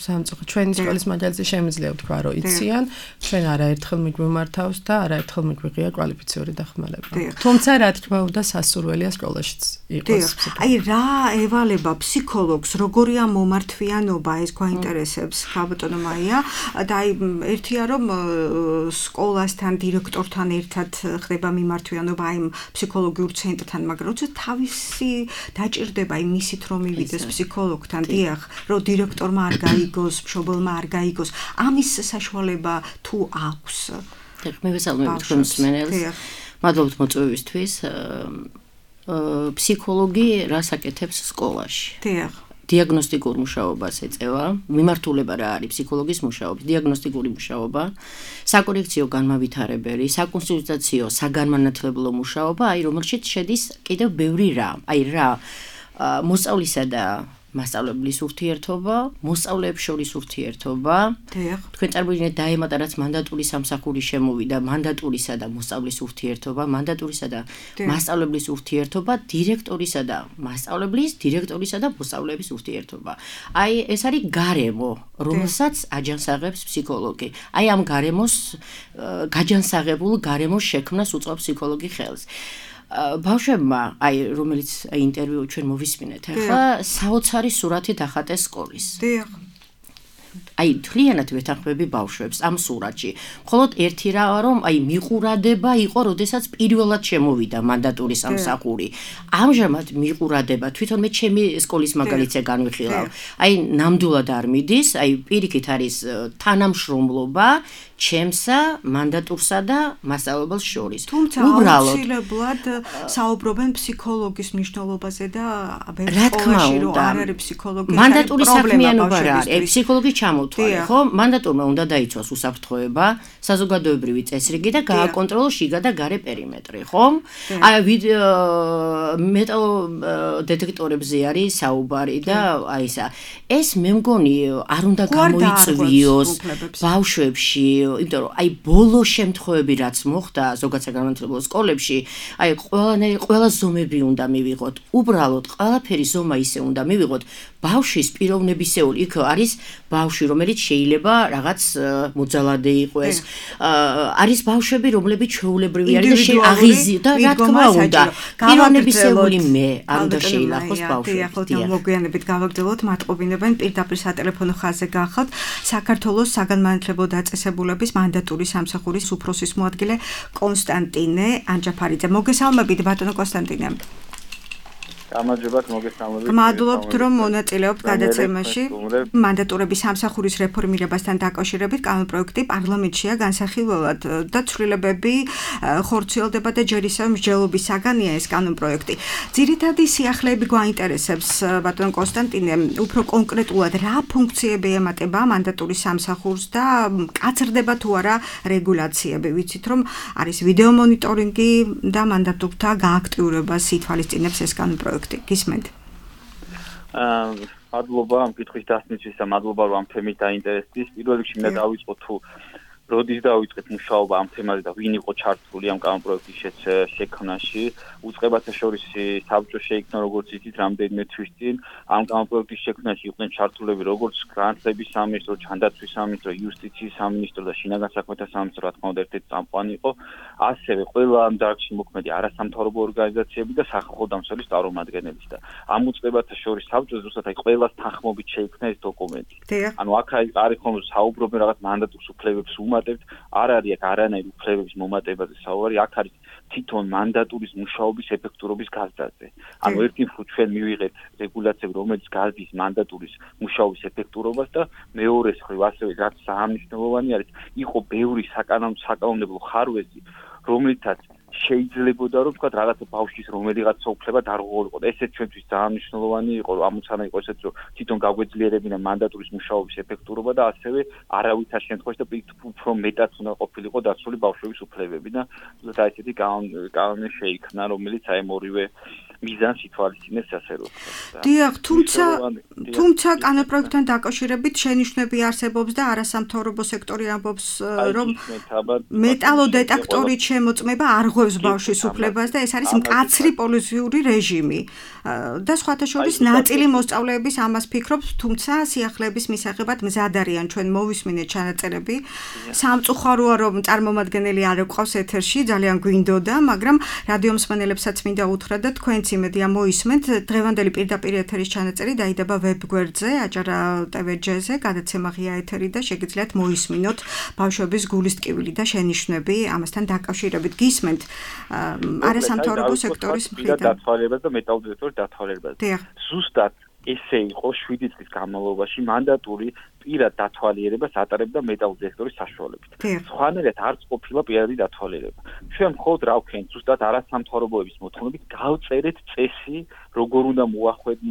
სამწუხაროდ ჩვენი სკოლის მაგალითზე შემიძლია ვთქვა, რომ იციან, ჩვენ არაერთხელ მიგვიმართავს და არაერთხელ მიგვიღია კვალიფიციური დახმარება. თუმცა რა თქმა უნდა სასურველია სკოლაშიც იყოს ფსიქოლოგი. აი რა ევალება ფსიქოლოგს, როგორია მომართვიანობა, ეს გვაინტერესებს ქალბატონო მაია და აი ერთია რომ სკოლასთან, დირექტორთან ერთად ხდება მიმართვიანობა აი ფსიქოლოგიურ ცენტრთან, მაგრამ როცა თავისი დაჭირდება აი მისით რომ მივიდეს ფსიქოლოგთან, დიახ, რომ დირექტორმა არ გაიგოს, მშობელმა არ გაიგოს, ამის საშუალება თუ აქვს? მე ვესალმები თქვენ მსმენელს. მადლობთ მოწვევისთვის. ფსიქოლოგი რას აკეთებს სკოლაში? დიახ. დიაგნოსტიკურ მუშაობას ეწევა. მიმართულება რა არის ფსიქოლოგის მუშაობის? დიაგნოსტიკური მუშაობა, საკორექციო განმავითარებელი, საკონსულტაციო, საგანმანათლებლო მუშაობა, აი რომელშიც შედის კიდევ ბევრი რამ. აი რა მოსწავლისა და მასწავლებლის ურთიერთობა, მოსწავლეებს შორის ურთიერთობა. თქვენ წარმოიდგინეთ დაემატა რაც მანდატურის სამსახური შემოვიდა, მანდატურისა და მოსწავლის ურთიერთობა, მანდატურისა და მასწავლებლის ურთიერთობა, დირექტორისა და მასწავლებლის, დირექტორისა და მოსწავლეების ურთიერთობა. აი ეს არის გარემო, რომელსაც აჯანსაღებს ფსიქოლოგი. აი ამ გარემოს გაჯანსაღებულ გარემოს შექმნას უწყობს ფსიქოლოგი ხელს. ბავშვებმა, აი რომელიც ინტერვიუ ჩვენ მოვისმინეთ, ახლა საოცარი სურათი დახატეს სკოლის. აი მთლიანად ვეთანხმები ბავშვებს ამ სურათში. მხოლოდ ერთი რა რომ აი მიყურადება იყო, როდესაც პირველად შემოვიდა მანდატური სამსახური. ამჟამად მიყურადება თვითონ მე ჩემი სკოლის მაგალითზე განვიხილავ. აი ნამდვილად არ მიდის, აი პირიქით არის თანამშრომლობა ჩემსა, მანდატურსა და მასწავლებელს შორის. თუმცა აუცილებლად საუბრობენ ფსიქოლოგის მნიშვნელობაზე და სკოლაში რომ არ არის ფსიქოლოგი, მანდატური საქმიანობა რა არის? ფსიქოლოგი ჩამოთვალე, ხო? მანდატურმა უნდა დაიცვას უსაფრთხოება, საზოგადოებრივი წესრიგი და გააკონტროლოს შიგა და გარე პერიმეტრი, ხო? აი მეტალ დეტექტორებზე არის საუბარი და აი ესა. ეს მე მგონი არ უნდა გამოიწვიოს ბავშვებში, იმიტომ რომ აი ბოლო შემთხვევები რაც მოხდა ზოგადად საგანმანათლებლო სკოლებში, აი ყველა ზომები უნდა მივიღოთ. უბრალოდ ყველაფერი ზომა ისე უნდა მივიღოთ. ბავშვის პიროვნებისეული იქ არის ბავშვი, რომელიც შეიძლება რაღაც მოძალადე იყოს. არის ბავშვები, რომლებიც ჩვეულებრივი არის და აღიზი და რა თქმა უნდა, პიროვნებისეული მე არ უნდა შეილახოს ბავშვი. ახლა მოგვიანებით გავაგრძელოთ, მათყობინებენ პირდაპირ სატელეფონო ხაზზე გახავთ საქართველოს საგანმანათლებლო დაწესებულების მანდატური სამსახურის უფროსის მოადგილე კონსტანტინე ანჯაფარიძე. მოგესალმებით ბატონო კონსტანტინე. გამარჯობათ, მოგესალმებით. გმადლობთ რომ მონაწილეობთ გადაცემაში. მანდატურების სამსახურის რეფორმირებასთან დაკავშირებით კანონპროექტი პარლამენტშია განსახილველად და ცვლილებები ხორციელდება და ჯერ ისევ მსჯელობის საგანია ეს კანონპროექტი. ძირითადი სიახლეები გვაინტერესებს ბატონ კონსტანტინე, უფრო კონკრეტულად რა ფუნქციები ემატება მანდატურის სამსახურს და კაცრდება თუ არა რეგულაციები. ვიცით რომ არის ვიდეო მონიტორინგი და მანდატურთა გააქტიურებას ითვალისწინებს ეს კანონპროექტი. გისმენთ? მადლობა ამ კითხვის დასმისთვის და მადლობა რომ ამ თემით დაინტერესდით. პირველ რიგში მინდა დავიწყო თუ როდის დავიწყეთ მუშაობა ამ თემაზე და ვინ იყო ჩართული ამ კანონპროექტის შექმნაში. უწყებათა შორის საბჭო შეიქმნა როგორც იცით რამდენიმე თვის წინ. ამ კანონპროექტის შექმნაში იყვნენ ჩართულები როგორც განათლების სამინისტრო, ჯანდაცვის სამინისტრო, იუსტიციის სამინისტრო და შინაგან საქმეთა სამინისტრო, რა თქმა უნდა ერთ-ერთი წამყვანი იყო. ასევე ყველა ამ დარგში მოქმედი არასამთავრობო ორგანიზაციები და სახალხო დამცველის წარმომადგენლები და ამ უწყებათა შორის საბჭოს ზუსტად აი ყველას თანხმობით შეიქმნა ეს დოკუმენტი. ანუ აქ არის ხომ საუბრობენ რაღაც მანდატურს უფლებებს უმატებთ, არ არის აქ არანაირი უფლებების მომატებაზე საუბარი, აქ არის თვითონ მანდატურის მუშაობის ეფექტურობის გაზრდაზე. ანუ ერთი მხრივ ჩვენ მივიღეთ რეგულაციები, რომელიც გაზრდის მანდატურის მუშაობის ეფექტურობას და მეორე მხრივ ასევე რაც საამნიშნელოვანი არის, იყო ბევრი საკანონმდებლო ხარვეზი, რომლითაც შეიძლებოდა რომ თქვა რაღაცა ბავშვის რომელიღაცა უფლება დარღვეულიყო. ესეც ჩვენთვის ძალიან მნიშვნელოვანი იყო, ამოცანა იყო ესეც რომ თვითონ გაგვეძლიერებინა მანდატურის მუშაობის ეფექტურობა და ასევე არავითარ შემთხვევაში და უფრო მეტად უნდა ყოფილიყო დაცული ბავშვების უფლებები და ზუსტად ესეთი კანონი შეიქმნა, რომელიც აი ორივე მიზანს ითვალისწინებს ასე რომ. დიახ, თუმცა კანონპროექტთან დაკავშირებით შენიშვნები არსებობს და არასამთავრობო სექტორი ამბობს რომ მეტალოდეტექტორით შემოწმება არ ღვევს ბავშვის უფლებას და ეს არის მკაცრი პოლიციური რეჟიმი. და სხვათა შორის ნაწილი მოსწავლეების ამას ფიქრობს, თუმცა სიახლეების მისაღებად მზად არიან. ჩვენ მოვისმინეთ ჩანაწერები. სამწუხაროა რომ წარმომადგენელი არ ეყავს ეთერში, ძალიან გვინდოდა, მაგრამ რადიო მსმენელებსაც მინდა უთხრა და თქვენც იმედია მოისმენთ. დღევანდელი პირდაპირ ეთერის ჩანაწერი დაიდება ვებგვერდზე, აჭარა TV-ზე, გადაცემა ღია ეთერი და შეგიძლიათ მოისმინოთ ბავშვების გულის ტკივილი და შენიშვნები ამასთან დაკავშირებით. გისმენთ არასამთავრობო სექტორის მხრიდან დათვალიერებას და მეტალოდეტექტორის დათვალიერებას. ზუსტად ესე იყო 7 წლის განმავლობაში მანდატური პირად დათვალიერებას ატარებდა მეტალოდეტექტორის საშუალებით. სხვანაირად არც ყოფილა პირადი დათვალიერება. ჩვენ მხოლოდ რა ვქენთ, ზუსტად არასამთავრობოების მოთხოვნებით გავწერეთ წესი, როგორ უნდა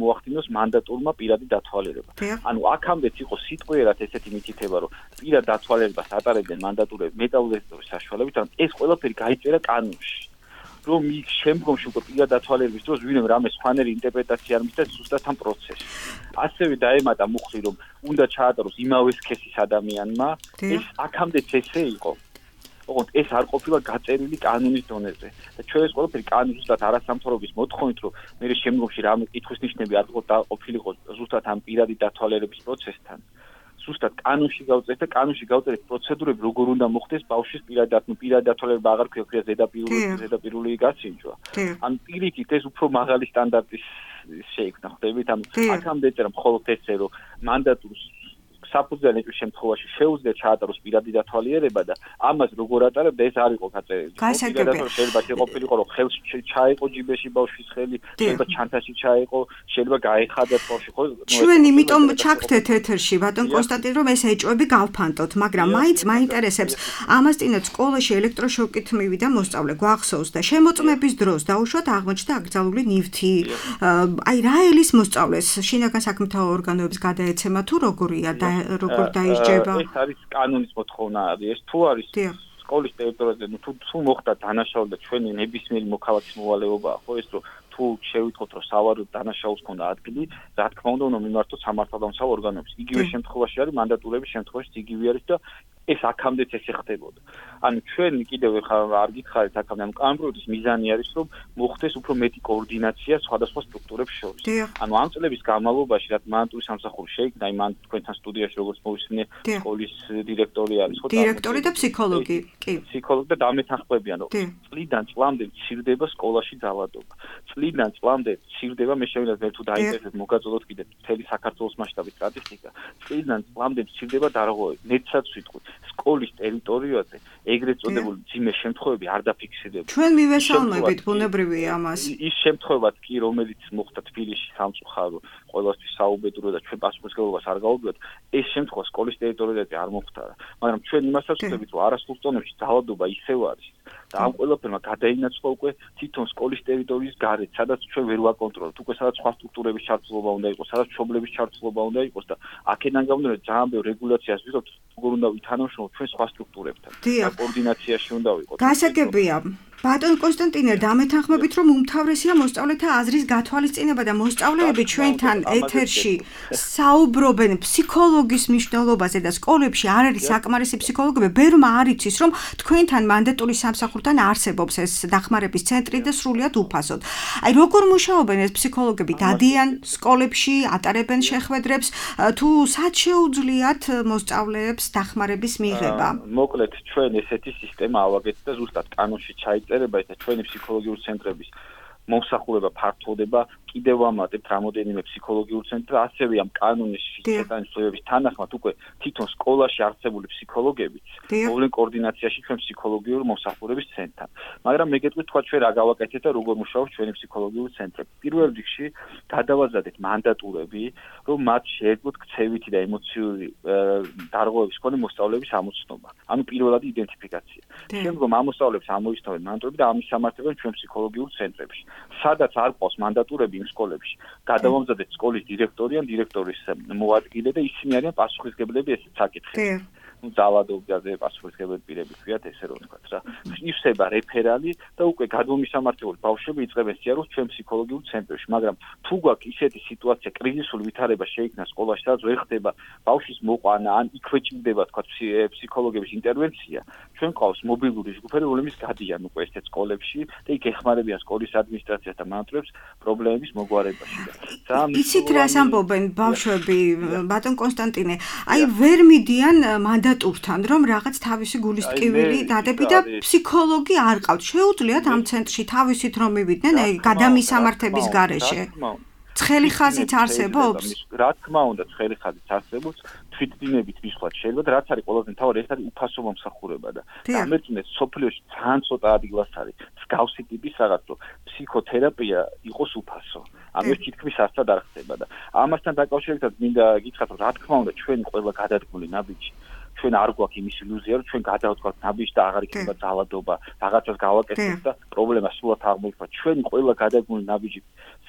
მოახდინოს მანდატურმა პირადი დათვალიერება. ანუ აქამდეც იყო სიტყვიერად ესეთი მითითება, რომ პირად დათვალიერებას ატარებდნენ მანდატურები მეტალოდეტექტორის საშუალებით, ანუ ეს ყველაფერი გაიწერა კანონში. რომ იქ შემდგომში უკვე პირად დათვალიერების დროს ვინმე რამე სხვანაირი ინტერპრეტაცია არ მისცეს ზუსტად ამ პროცესში. ასევე დაემატა მუხლი, რომ უნდა ჩაატაროს იმავე სქესის ადამიანმა, ეს აქამდეც ესე იყო. ოღონდ ეს არ ყოფილა გაწერილი კანონის დონეზე. და ჩვენ ეს ყველაფერი კანონი ზუსტად არასამთავრობის მოთხოვნით, რომ მე შემდგომში რამე კითხვის ნიშნები არ ყოფილიყო ზუსტად ამ პირადი დათვალიერების პროცესთან. ზუსტად კანონში გავწერეთ და კანონში გავწერეთ პროცედურები, როგორ უნდა მოხდეს ბავშვის პირადი დათვალიერება აღარ ქვია ზედაპირული გაცინჯვა. ან პირიქით ეს უფრო მაღალი სტანდარტის შეიქმნა, ხდებით? ანუ აქამდე ეწერა მხოლოდ ესე, რომ მანდატურს საფუძველი შემთხვევაში შეუძლია ჩაატაროს პირადი დათვალიერება და ამას როგორ ატარებდა ეს არ იყო გაწერილი. შეიძლება შეყოფილიყო რომ ხელში ჩაიყო ჯიბეში ბავშვის ხელი, შეიძლება ჩანთაში ჩაიყო, შეიძლება გაეხადათ ბავშვი ხო? ჩვენ იმიტომ ჩაგდეთ ეთერში ბატონ კონსტანტინ რომ ეს ეჭვები გავფანტოთ, მაგრამ მაინც მაინტერესებს ამას წინათ სკოლაში ელექტროშოკით მივიდა მოსწავლე გვახსოვს და შემოწმების დროს დაუშვათ აღმოჩნდა აკრძალული ნივთი. აი რა ელის მოსწავლეს შინაგან საქმეთა ორგანოებს გადაეცემა თუ როგორია და როგორ დაისჯება? ეს არის კანონის მოთხოვნა არის. ეს თუ არის სკოლის ტერიტორიაზე, თუ მოხდა დანაშაული და ჩვენი ნებისმიერი მოქალაქის მოვალეობაა, ხო ეს რომ თუ შევიტყოთ რომ სავარაუდოდ დანაშაულს ქონდა ადგილი, რა თქმა უნდა უნდა მიმართოთ სამართალდამცავ ორგანოებს. იგივე შემთხვევაში არის მანდატურების შემთხვევაში იგივე არის და ეს აქამდეც ესე ხდებოდა. ანუ ჩვენ კიდევ არ გითხარით აქამდე ანუ კანონპროექტის მიზანი არის რომ მოხდეს უფრო მეტი კოორდინაცია სხვადასხვა სტრუქტურებს შორის. ანუ ამ წლების განმავლობაში რაც მანდატურის სამსახური შეიქმნა, აი მან თქვენთან სტუდიაში როგორც მოვისმინე სკოლის დირექტორი არის, ხო? დირექტორი და ფსიქოლოგი, კი. ფსიქოლოგი და დამეთანხმებიან რომ წლიდან წლამდე მცირდება სკოლაში ძალადობა. წლიდან წლამდე მცირდება მე შევინახეთ მე თუ დაინტერესებთ მოგაწოდოთ კიდე მთელი საქართველოს მასშტაბის სტატისტიკა. წლიდან წლამდე მცირდება დარღვევები. ნეცაც ვიტყვი სკოლის ტერიტორიაზე ეგრეთ წოდებული ძიმე შემთხვევები არ დაფიქსირდება. ჩვენ მივესალმებით ბუნებრივია ამას. ის შემთხვევაც კი რომელიც მოხდა თბილისში სამწუხარო ყველასთვის საუბედურო და ჩვენ პასუხისმგებლობას არ გავუდგათ, ეს შემთხვევა სკოლის ტერიტორიაზე არ მომხდარა. მაგრამ ჩვენ იმასაც ვხვდებით რომ არასრულ ზონებში ძალადობა ისევ არის. და ამ ყველაფერმა გადაინაცვლა უკვე თვითონ სკოლის ტერიტორიის გარეთ, სადაც ჩვენ ვერ ვაკონტროლებთ, უკვე სადაც სხვა სტრუქტურების ჩართულობა უნდა იყოს, სადაც მშობლების ჩართულობა უნდა იყოს და აქედან გამომდინარე ძალიან ბევრ რეგულაციას ვიღებთ, როგორ უნდა ვითანამშრომლოთ ჩვენ სხვა სტრუქტურებთან. და კოორდინაციაში უნდა ვიყოთ. გასაგებია. ბატონ კონსტანტინე, დამეთანხმებით რომ უმთავრესია მოსწავლეთა აზრის გათვალისწინება და მოსწავლეები ჩვენთან ეთერში საუბრობენ ფსიქოლოგის მნიშვნელობაზე და სკოლებში არ არის საკმარისი ფსიქოლოგები, ბერმა არ იცის რომ თქვენთან მანდატურის სამსახურთან არსებობს ეს დახმარების ცენტრი და სრულიად უფასოდ. აი როგორ მუშაობენ ეს ფსიქოლოგები? დადიან სკოლებში, ატარებენ შეხვედრებს თუ სად შეუძლიათ მოსწავლეებს დახმარების მიღება? მოკლედ ჩვენ ესეთი სისტემა ავაგეთ და ზუსტად კანონში ჩაიწერება ეს ჩვენი ფსიქოლოგიური ცენტრების მომსახურება ფართოვდება კიდევ ამატებთ რამოდენიმე ფსიქოლოგიურ ცენტრს ასევე ამ კანონის შეტანის სრულების თანახმად უკვე თვითონ სკოლაში არსებული ფსიქოლოგებიც მოვლენ კოორდინაციაში ჩვენ ფსიქოლოგიურ მომსახურების ცენტრთან. მაგრამ მე გეტყვით თქვა ჩვენ რა გავაკეთეთ და როგორ მუშაობს ჩვენი ფსიქოლოგიური ცენტრები. პირველ რიგში გადავაზადეთ მანდატურები, რომ მათ შეეძლოთ ქცევითი და ემოციური დარღვევების მქონე მოსწავლეების ამოცნობა. ანუ პირველად იდენტიფიკაცია. შემდგომ ამ მოსწავლეებს ამოისთავენ მანდატურები და ამის სამართლებენ ჩვენ ფსიქოლოგიურ ცენტრებში. სადაც არ ყავს მანდატურები იმ სკოლებში, გადავამზადეთ სკოლის დირექტორი ან დირექტორის მოადგილე და ისინი არიან პასუხისმგებლები ესეთ საკითხებში. ну ძალადობაზე პასუხისმგებელი პირები ქვიათ ესე რომ ვთქვათ რა. ივსება რეფერალი და უკვე გადმომისამართებელი ბავშვები იწყებენ სიარულს ჩვენ ფსიქოლოგიურ ცენტრებში, მაგრამ თუ გვაქვს ისეთი სიტუაცია, კრიზისული ვითარება შეიქმნა სკოლაში, სადაც ვერ ხდება ბავშვის მოყვანა, ან იქვე ჭირდება თქვათ ფსიქოლოგების ინტერვენცია, ჩვენ ყავს მობილური ჯგუფები, რომლებიც გადიან უკვე ესეთ სკოლებში და იქ ეხმარებიან სკოლის ადმინისტრაციას და მანატრებს პრობლემების მოგვარებაში. იცით რას ამბობენ ბავშვები, ბატონ კონსტანტინე, აი ვერ მიდიან მანდატურთან, რომ რაღაც თავისი გულის ტკივილი დადები და ფსიქოლოგი არ ყავთ. შეუძლიათ ამ ცენტრში თავისით რომ მივიდნენ გადამისამართების გარეშე. ცხელი ხაზით არსებობს? რა თქმა უნდა, ცხელი ხაზით არსებობს. თვითდინებით მისვლა შეიძლება, რაც არის ყველაზე მთავარი, ეს არის უფასო მომსახურება და ამერწუნეთ სოფლიოში ძალიან ცოტა ადგილას არის მსგავსი ტიპის რაღაც, რომ ფსიქოთერაპია იყოს უფასო. ანუ ეს თითქმის არცად არ ხდება და ამასთან დაკავშირებითაც მინდა გითხრათ, რომ რა თქმა უნდა, ჩვენ ყველა გადადგმული ნაბიჯი ჩვენ არ გვაქვს იმის ილუზია, რომ ჩვენ გადავდგავთ ნაბიჯს და აღარ იქნება ძალადობა, რაღაცას გავაკეთებთ და პრობლემა სულად აღმოიფხვრა. ჩვენ ყველა გადადგმული ნაბიჯი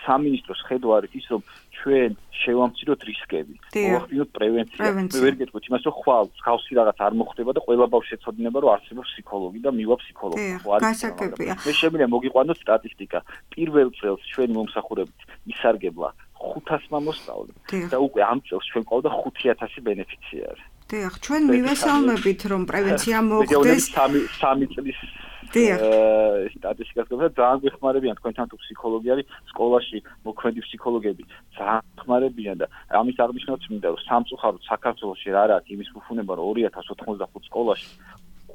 სამინისტროს ხედვა არის ის, რომ ჩვენ შევამციროთ რისკები, მოვახდინოთ პრევენცია. მე ვერ გეტყვით იმას, რომ ხვალ მსგავსი რაღაც არ მოხდება და ყველა ბავშვი ეცოდინება, რომ არსებობს ფსიქოლოგი და მივა ფსიქოლოგი. გასაგებია. მე შემიძლია მოგიყვანოთ სტატისტიკა. პირველ წელს ჩვენი მომსახურებით ისარგებლა 500 მოსწავლე და უკვე ამ წელს ჩვენ ყავდა 5000 ბენეფიციარი. დიახ, ჩვენ მივესალმებით, რომ პრევენცია მოხდეს. სამი წლის სტატისტიკას გქონდა, ძალიან გვეხმარებიან თქვენთან თუ ფსიქოლოგი არის სკოლაში, მოქმედი ფსიქოლოგები ძალიან გვეხმარებიან და ამის აღნიშნულიც მინდა რომ სამწუხაროდ საქართველოში რა არის იმის ფუფუნება რომ 2095 სკოლაში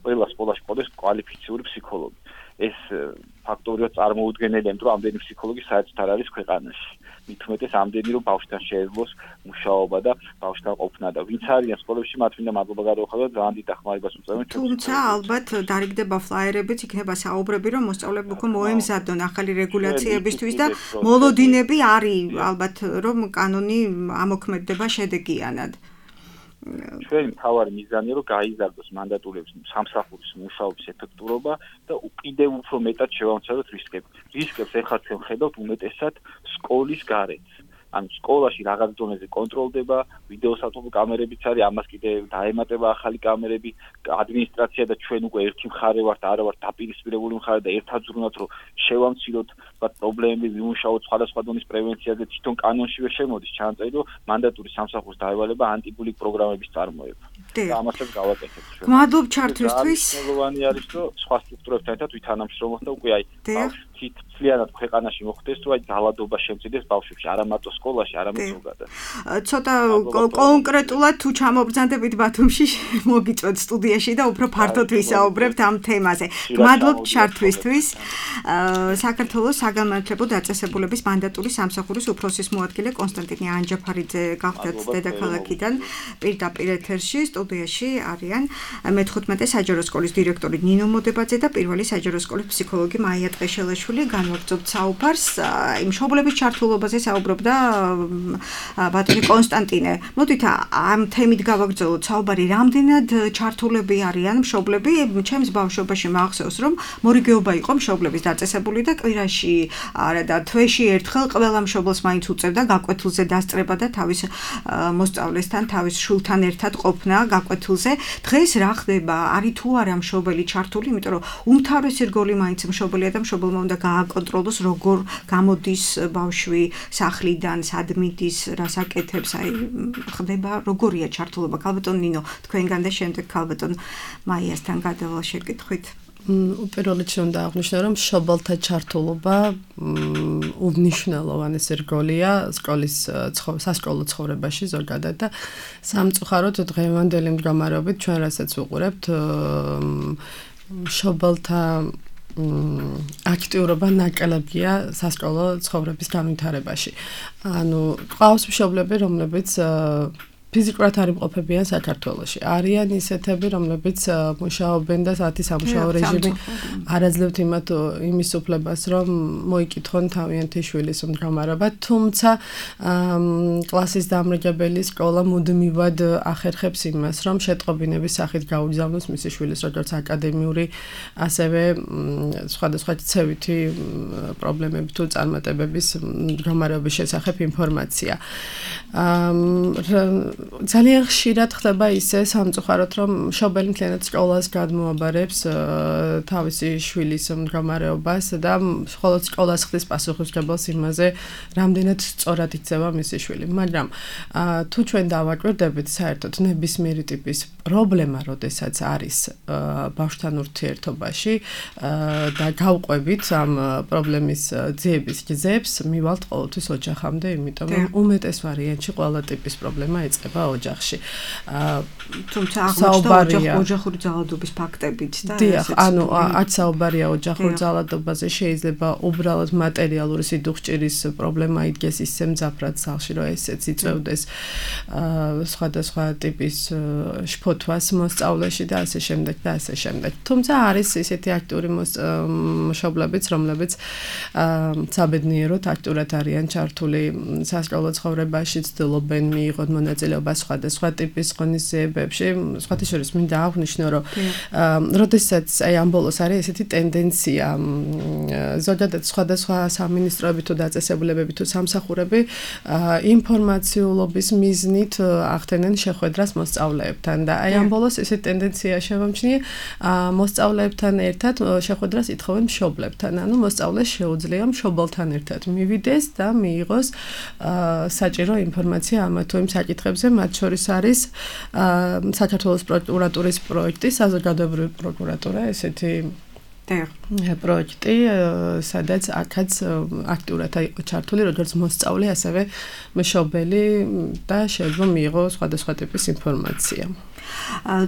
ყველა სკოლაში ყოდეს კვალიფიციური ფსიქოლოგი. ეს ფაქტორია წარმოუდგენელი, იმიტომ რომ ამდენი ფსიქოლოგი საერთოდ არ არის ქვეყანაში. მით უმეტეს ამდენი რომ ბავშვთან შეეძლოს მუშაობა და ბავშვთან ყოფნა და ვინც არიან სკოლებში მათ მინდა მადლობა გადავხადოთ ძალიან დიდ დახმარებას უწევენ თუმცა ალბათ დარიგდება ფლაიერებიც იქნება საუბრები რომ მოსწავლეები უკვე მოემზადონ ახალი რეგულაციებისთვის და მოლოდინები არის ალბათ რომ კანონი ამოქმედდება შედეგიანად ჩვენი მთავარი მიზანია რომ გაიზარდოს მანდატურების სამსახურის მუშაობის ეფექტურობა და კიდევ უფრო მეტად შევამციროთ რისკები. რისკებს ეხლა ჩვენ ხედავთ უმეტესად სკოლის გარეთ. ანუ სკოლაში რაღაც დონეზე კონტროლდება, ვიდეოსათვალო კამერებიც არის, ამას კიდევ დაემატება ახალი კამერები, ადმინისტრაცია და ჩვენ უკვე ერთი მხარე ვართ, არა ვართ დაპირისპირებული მხარე და ერთად ზრუნავთ, რომ შევამციროთ პრობლემები, ვიმუშაოთ სხვადასხვა დონის პრევენციაზე, თვითონ კანონშივე შემოდის ჩანაწერი, რომ მანდატური სამსახურის დაევალება ანტიბულინგ პროგრამების წარმოება. და ამასაც გავაკეთებთ ჩვენ. მადლობ ჩართვისთვის. მნიშვნელოვანი არის, რომ სხვა სტრუქტურებთან ერთად ვითანამშრომლოთ და უკვე აი მთლიანად ქვეყანაში მოხდეს, რომ აი ძალადობა შემცირდეს ბავშვებში, არა მარტო სკოლაში, არამედ ზოგადად. ცოტა კონკრეტულად თუ ჩამობრძანდებით ბათუმში, მოგიწვევთ სტუდიაში და უფრო ფართოდ ვისაუბრებთ ამ თემაზე. მადლობ ჩართვისთვის. საქართველოს საგანმანათლებლო დაწესებულების მანდატური სამსახურის უფროსის მოადგილე კონსტანტინე ანჯაფარიძე გახდათ დედაქალაქიდან პირდაპირ ეთერში სტუდიაში არიან მე-15 საჯარო სკოლის დირექტორი ნინო მოდებაძე და პირველი საჯარო სკოლის ფსიქოლოგი მაია ტყეშელაშვილი. განვაგრძობთ საუბარს იმ მშობლების ჩართულობაზე საუბრობდა ბატონი კონსტანტინე. მოდით ამ თემით გავაგრძელოთ საუბარი, რამდენად ჩართულები არიან მშობლები. ჩემს ბავშვობაში მახსოვს, რომ მორიგეობა იყო მშობლების დაწესებული და კვირაში არა და თვეში ერთხელ ყველა მშობელს მაინც უწევდა გაკვეთილზე დასწრება და თავის მოსწავლესთან, თავის შვილთან ერთად ყოფნა გაკვეთილზე. დღეს რა ხდება? არის თუ არა მშობელი ჩართული, იმიტომ რომ უმთავრესი რგოლი მაინც მშობელია და მშობელმა უნდა გააკონტროლოს როგორ გამოდის ბავშვი სახლიდან, სად მიდის, რას აკეთებს, აი ხდება როგორია ჩართულობა. ქალბატონ ნინო, თქვენგან და შემდეგ ქალბატონ მაიასთან გადავალ შეკითხვით. უპირველეს უნდა აღნიშნო, რომ მშობელთა ჩართულობა უნიშნელოვანესი რგოლია სკოლის სასკოლო ცხოვრებაში ზოგადად და სამწუხაროდ დღევანდელი მდგომარეობით ჩვენ რასაც ვუყურებთ მშობელთა აქტიურობა ნაკლებია სასკოლო ცხოვრების განვითარებაში. ანუ ყავს მშობლები, რომლებიც ფიზიკურად არ იმყოფებიან საქართველოში. არიან ისეთები, რომლებიც მუშაობენ და საათი სამუშაო რეჟიმი არ აძლევთ იმის უფლებას, რომ მოიკითხონ თავიანთი შვილის მდგომარეობა, თუმცა კლასის დამრიგებელი სკოლა მუდმივად ახერხებს იმას, რომ შეტყობინების სახით გაუგზავნოს მისი შვილის როგორც აკადემიური, ასევე სხვადასხვა ცევითი პრობლემები თუ წარმატებების მდგომარეობის შესახებ ინფორმაცია. ძალიან ხშირად ხდება ისე სამწუხაროდ, რომ მშობელი მთლიანად სკოლას გადმოაბარებს თავისი შვილის მდგომარეობას და მხოლოდ სკოლას ხდის პასუხისმგებელს იმაზე, რამდენად სწორად იქცევა მისი შვილი. მაგრამ თუ ჩვენ დავაკვირდებით საერთოდ ნებისმიერი ტიპის პრობლემა, როდესაც არის ბავშვთან ურთიერთობაში და გავყვებით ამ პრობლემის ძიების გზებს, მივალთ ყოველთვის ოჯახამდე, იმიტომ რომ უმეტეს ვარიანტში ყველა ტიპის პრობლემა ეწყება ოჯახში. თუმცა აღმოჩნდა ოჯახური ძალადობის ფაქტებიც და დიახ, ანუ აქ საუბარია ოჯახურ ძალადობაზე, შეიძლება უბრალოდ მატერიალური სიდუხჭირის პრობლემა იდგეს ისე მძაფრად სახლში, რომ ესეც იწევდეს სხვადასხვა ტიპის შფოთვას მოსწავლეში და ასე შემდეგ და ასე შემდეგ. თუმცა არის ისეთი აქტიური მშობლებიც, რომლებიც საბედნიეროდ აქტიურად არიან ჩართული სასკოლო ცხოვრებაში, ცდილობენ მიიღონ მონაწილეობა სხვადასხვა ტიპის ღონისძიებებში. სხვათა შორის მინდა აღვნიშნო, რომ როდესაც აი ამ ბოლოს არის ესეთი ტენდენცია, ზოგადად სხვადასხვა სამინისტროები თუ დაწესებულებები თუ სამსახურები ინფორმაციულობის მიზნით ახდენენ შეხვედრას მოსწავლეებთან და აი ამ ბოლოს ესეთი ტენდენცია შევამჩნიე, მოსწავლეებთან ერთად შეხვედრას ითხოვენ მშობლებთან, ანუ მოსწავლეს შეუძლია მშობელთან ერთად მივიდეს და მიიღოს საჭირო ინფორმაცია ამ თუ იმ საკითხებზე, მათ შორის არის საქართველოს პროკურატურის პროექტი საზოგადოებრივი პროკურატურა, ესეთი პროექტი, სადაც აქაც აქტიურად იყო ჩართული როგორც მოსწავლე, ასევე მშობელი და შეიძლება მიიღო სხვადასხვა ტიპის ინფორმაცია.